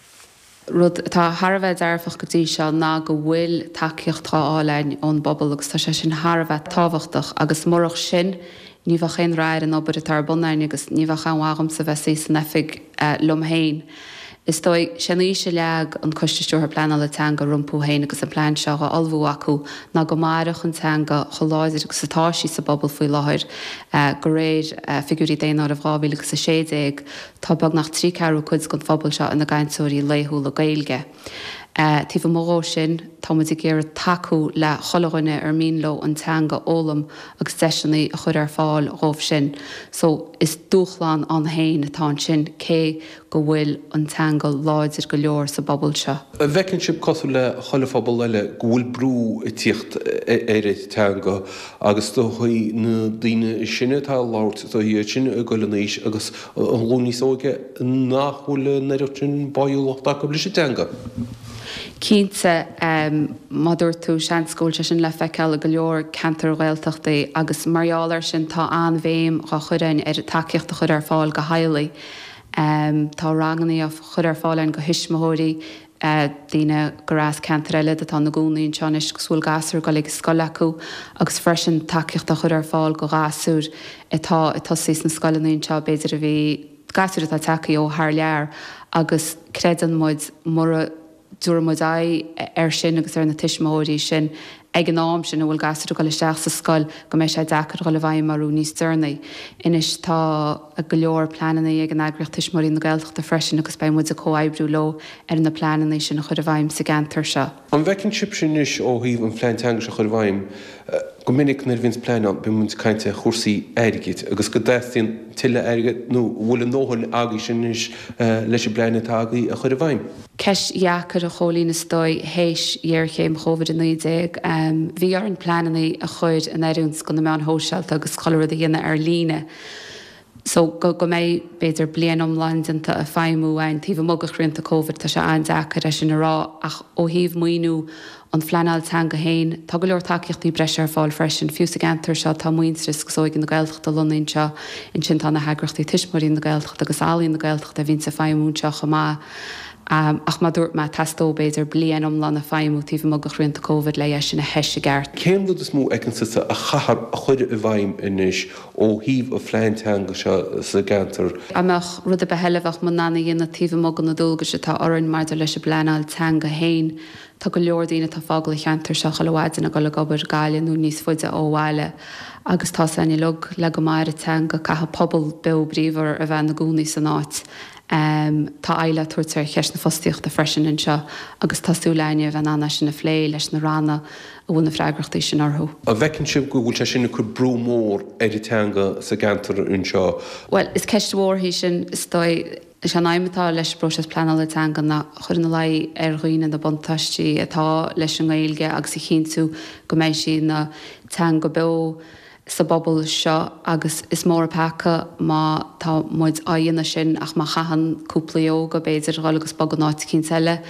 Rud atá thar a bheith dearfach go dtí seo ná go bhfuil tacaíocht á fháil againn ón bpobal agus tá sé sin thar a bheith tábhachtach agus murach sin ní bheadh aon rath ar an obair atá ar bun againn agus ní bheadh aon mhaith dhomsa bheith suí san oifig liom féin. Is dóigh, sé an fhís a leag an Coiste Stiúrtha Pleanála Teanga rompu féin agus an plean seo á ullmhú acu ná go mairfeadh an teanga chomh láidir agus atá sí sa bpobal faoi láthair. De réir figiúirí Daonáireamh dhá mhíle agus a sé déag, Tá beagnach trí ceathrú cuid den phobal seo ina gcainteoirí laethúla Gaeilge. Taobh amuigh dhó sin, tá muid ag iarraidh tacú le chuile dhuine ar mian leo an teanga a fhoghlaim agus deiseanna a chur ar fáil dhóibh sin. So, is dúshlán ann féin atá ansin cé go bhfuil an teanga láidir go leor sa bpobal seo. An bhfeiceann sibh, cosúil le chuile phobal eile, go bhfuil brú ag tíocht ar an teanga agus is dóichí na daoine is sine atá ag labhairt, is dóichí iad sin ag dul in aois agus an ghlúin níos óige nach bhfuil an oiread sin báúlacht acu leis an teanga. Cinnte, mar a dúirt tú, seans go bhfuil sé sin le feiceáil i go leor ceantair Ghaeltachtaí agus mar gheall air sin tá an-bhéim á chur againn ar tacaíocht a chur ar fáil go theaghlaigh. Tá ranganna á chur ar fáil againn go thuismitheoirí, daoine gur as ceantair eile atá ina gcónaí anseo anois agus bhfuil gasúir ag dul ag an scoil acu agus freisin tacaíocht á chur ar fáil go ghasúir atá ag tosaí sna scoileanna anseo, b'fhéidir a bhí gasúir atá tagtha ó thar lear agus creideann muid mura dtabharfaidh muid aghaidh air sin agus ar na tuismitheoirí sin ag an am sin a bhfuil gasúir ag dul isteach sa scoil go mbeidh sé deacair dhul i bhfeidhm orthu níos deireanaí. Anois tá go leor pleananna ag an eagraíocht Tuismitheoirí na Gaeltachta freisin agus beidh muid ag comhoibriú leo ar na pleananna sin a chur i bhfeidhm sa gceantar seo. An bhfeiceann sibhse anois ó thaobh an phlean teanga seo a chur i bhfeidhm, Go minic nuair a bhíonns plean ann bíonn muid ag caint ar chúrsaí airgid agus go dteastaíonn tuilleadh airgid nó an bhfuil a ndóthain agaibhse anois leis an bplean atá agaibh a chur i bhfeidhm. Ceist dheacair a Chóilín is dóigh théis ghéarchéim Covid a naoi déag. Bhí orainn pleananna a chur in oiriúint go na meáin shóisialta agus chuile rud a dhéanamh ar líne. So go go mbeidh b'fhéidir bliain iomlán déanta ag feidhmiú againn taobh amuigh de shrianta Covid, tá sé an-deacair é sin a rá ach ó thaobh maoiniú an phleanáil teanga féin, tá go leor tacaíochtaí breise ar fáil freisin. Fiú sa gceantar seo tá Muintearas agus Óige na Gaeltachta lonnaithe anseo, ansin tá na heagraíochtaí Tuismitheoirí na Gaeltachta agus Ealaíon na Gaeltachta a bhíonns ag feidhmiú anseo chomh maith. Ach mar dúirt mé, theastódh b'fhéidir bliain iomlán ag feidhmiú taobh amuigh de shrianta Covid le é sin a thoiseacht i gceart. Cén rud is mó a fheiceann tusa a chaithfear a chur i bhfeidhm anois ó thaobh an phlean teanga seo sa gceantar? An mbeadh rud ar bith eile a bheadh muid in ann a dhéanamh taobh amuigh de na dualgais atá orainn maidir leis an bpleanáil teanga féin? Tá go leor daoine atá ag fágáil an cheantair seo chuile mhaidin ag dul ag obair i Gaillimh nó níos faide ó bhaile agus tá 's againn uilig le go maire teanga caithfidh pobal beo bríomhar a bheith ina gcónaí san áit. Tá aghaidh le tabhairt ar cheist na fostaíochta freisin anseo agus tá súil againne a bheith in ann é sin a phlé leis na ranna a bhfuil na freagrachtaí sin orthu. An bhfeiceann sibh go bhfuil sé sin ag cur brú mór ar an teanga sa gceantar anseo? Bhuel, is ceist mhór í sin, is dóigh. Is é an aidhm atá leis an bpróiseas pleanála teanga ná a chur ina luí ar dhaoine na buntáistí atá leis an nGaeilge agus a chinntiú go mbeidh sí ina teanga beo sa bpobal seo agus is mór an peaca má tá muid á dhéanamh sin ach má chaitheann cúpla óga b'fhéidir dhul agus bogadh in áit eicínt eile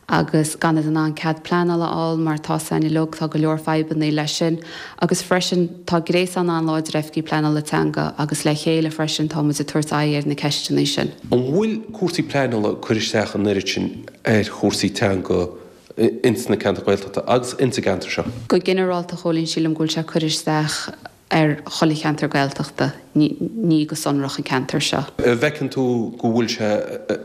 agus gan iad in ann cead pleanála a fháil mar tá 's againn uilig tá go leor fadhbanna leis sin agus freisin tá gréasán an-láidir oifigí pleanála teanga agus le chéile freisin tá muid ag tabhairt aghaidh ar na ceisteanna sin. An bhfuil cúrsaí pleanála ag cur isteach an oiread sin ar chúrsaí teanga ins na ceantair Ghaeltachta agus ins an gceantar seo? Go ginearálta, a Chóilín, sílim go bhfuil sé ag cur isteach ar chuile cheantar Gaeltachta, ní go sonrach an ceantar seo. An bhfeiceann tú go bhfuil sé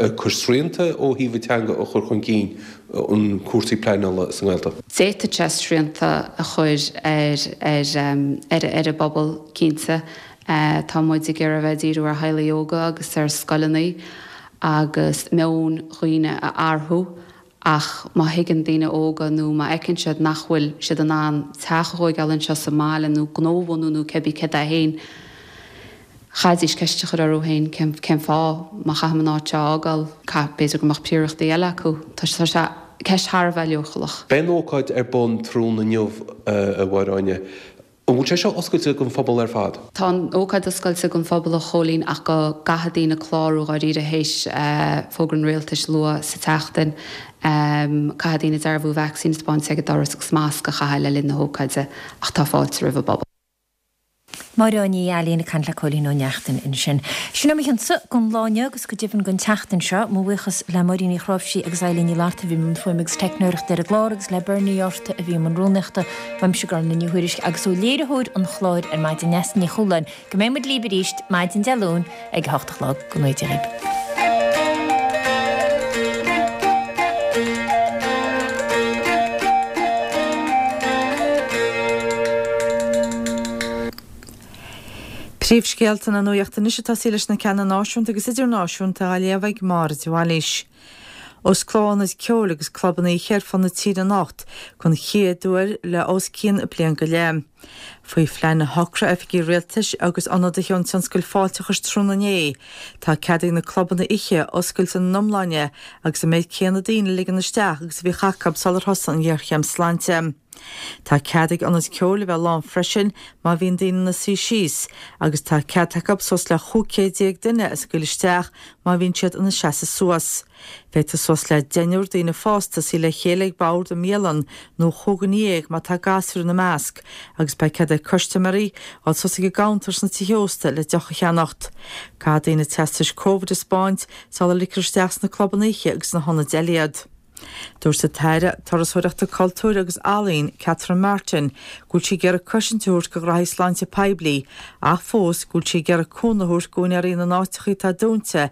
ag cur srianta ó thaobh an teanga a chur chun cinn, an cúrsaí pleanála sa nGaeltacht? D'fhéadfadh sé srianta a chur ar ar ar an bpobal, cinnte. Tá muid ag iarraidh a bheith ag díriú ar theaghlaigh óga agus ar scoileanna agus meon dhaoine a athrú. Ach má thuigeann daoine óga nó má fheiceann siad nach bhfuil siad in ann teach a thóigeáil anseo sa mbaile nó gnó a bhunú nó cibé céard é féin, chaithfidís ceist a chur orthu féin cén cén fáth má chaithim an áit seo a fhágáil, caith b'fhéidir go mbeadh príorachtaí eile acu. Tá sé ceist thar a bheith leochaileach. Beidh an ócáid ar bun tráthnóna inniu, a Mháire Áine. An bhfuil sé seo oscailte don phobal ar fad? Tá an ócáid oscailte don phobal a Chóilín ach go gcaithfidh daoine clárú dháiríre théis fógra an Rialtais luath sa tseachtain. Caithfidh daoine dearbhú vacsaín a spáint ag an doras agus masc a chaitheamh le linn na hócáide ach tá fáilte roimh an bpobal. Máire Áine Ní Ailín ag caint le Cóilín Ó Neachtain ansin. Sin é mo chionsa don lá inniu agus go deimhin don tseachtain seo. Mo bhuíochas le Máirín Ní Chráimhsí agus Eilín Ní Fhlatharta a bhí i mbun fuaime agus teicneoireachta ar an gclár agus le Bernie Orta a bhí i mbun rúnaíochta. Uaimse Gormfhlaith Ní Thuairisg agus ó léiritheoir an chláir ar maidin Neasa Ní Chualáin. Go mbeidh muid libh arís maidin Dé Luain ag a hocht a chlog. Go ngnóthaí Dia dhaoibh. Príomhscéalta na nuachta anois ag tosaí leis na ceanna náisiúnta agus idirnáisiúnta á léamh ag Máire de Bhailís. Osclóidh ionaid ceoil agus clubanna oíche ar fud na tíre anocht don chéad uair le os cionn bliain go leith. Faoi phlean a shocraigh oifigigh rialtais agus ionadaithe ón tionscal fáilteachais tráthnóna inné, tá cead ag na clubanna oíche oscailt ina n-iomláine agus an méid céanna daoine a ligean isteach agus a bhíodh acu sular thosaigh an ghéarchéim sláinte. Tá cead ag ionaid ceoil a bheith lán freisin má bhíonn daoine ina suí síos agus tá cead acu suas le chúig chéad déag duine a scaoileadh isteach má bhíonn siad ina seasamh suas. Féadfaidh suas le deichniúr daoine fásta suí le chéile ag bord i mbialann nó chúigear dhéag má tá gasúir ina measc agus beidh cead ag custaiméirí dul suas ag an gcuntar sna tithe ósta le deoch a cheannacht. Caithfidh daoine teastais Covid a 'spáint sula ligfear isteach sna clubanna oíche agus sna hionaid eile iad. Dúirt an tAire Turasóireachta, Cultúir agus Ealaíon, Catherine Martin, go bhfuil sí ag iarraidh cosaint a thabhairt do ghraithí sláinte poiblí ach fós go bhfuil sí ag iarraidh cúnamh a thabhairt d'úinéirí na n-áiteacha atá dúnta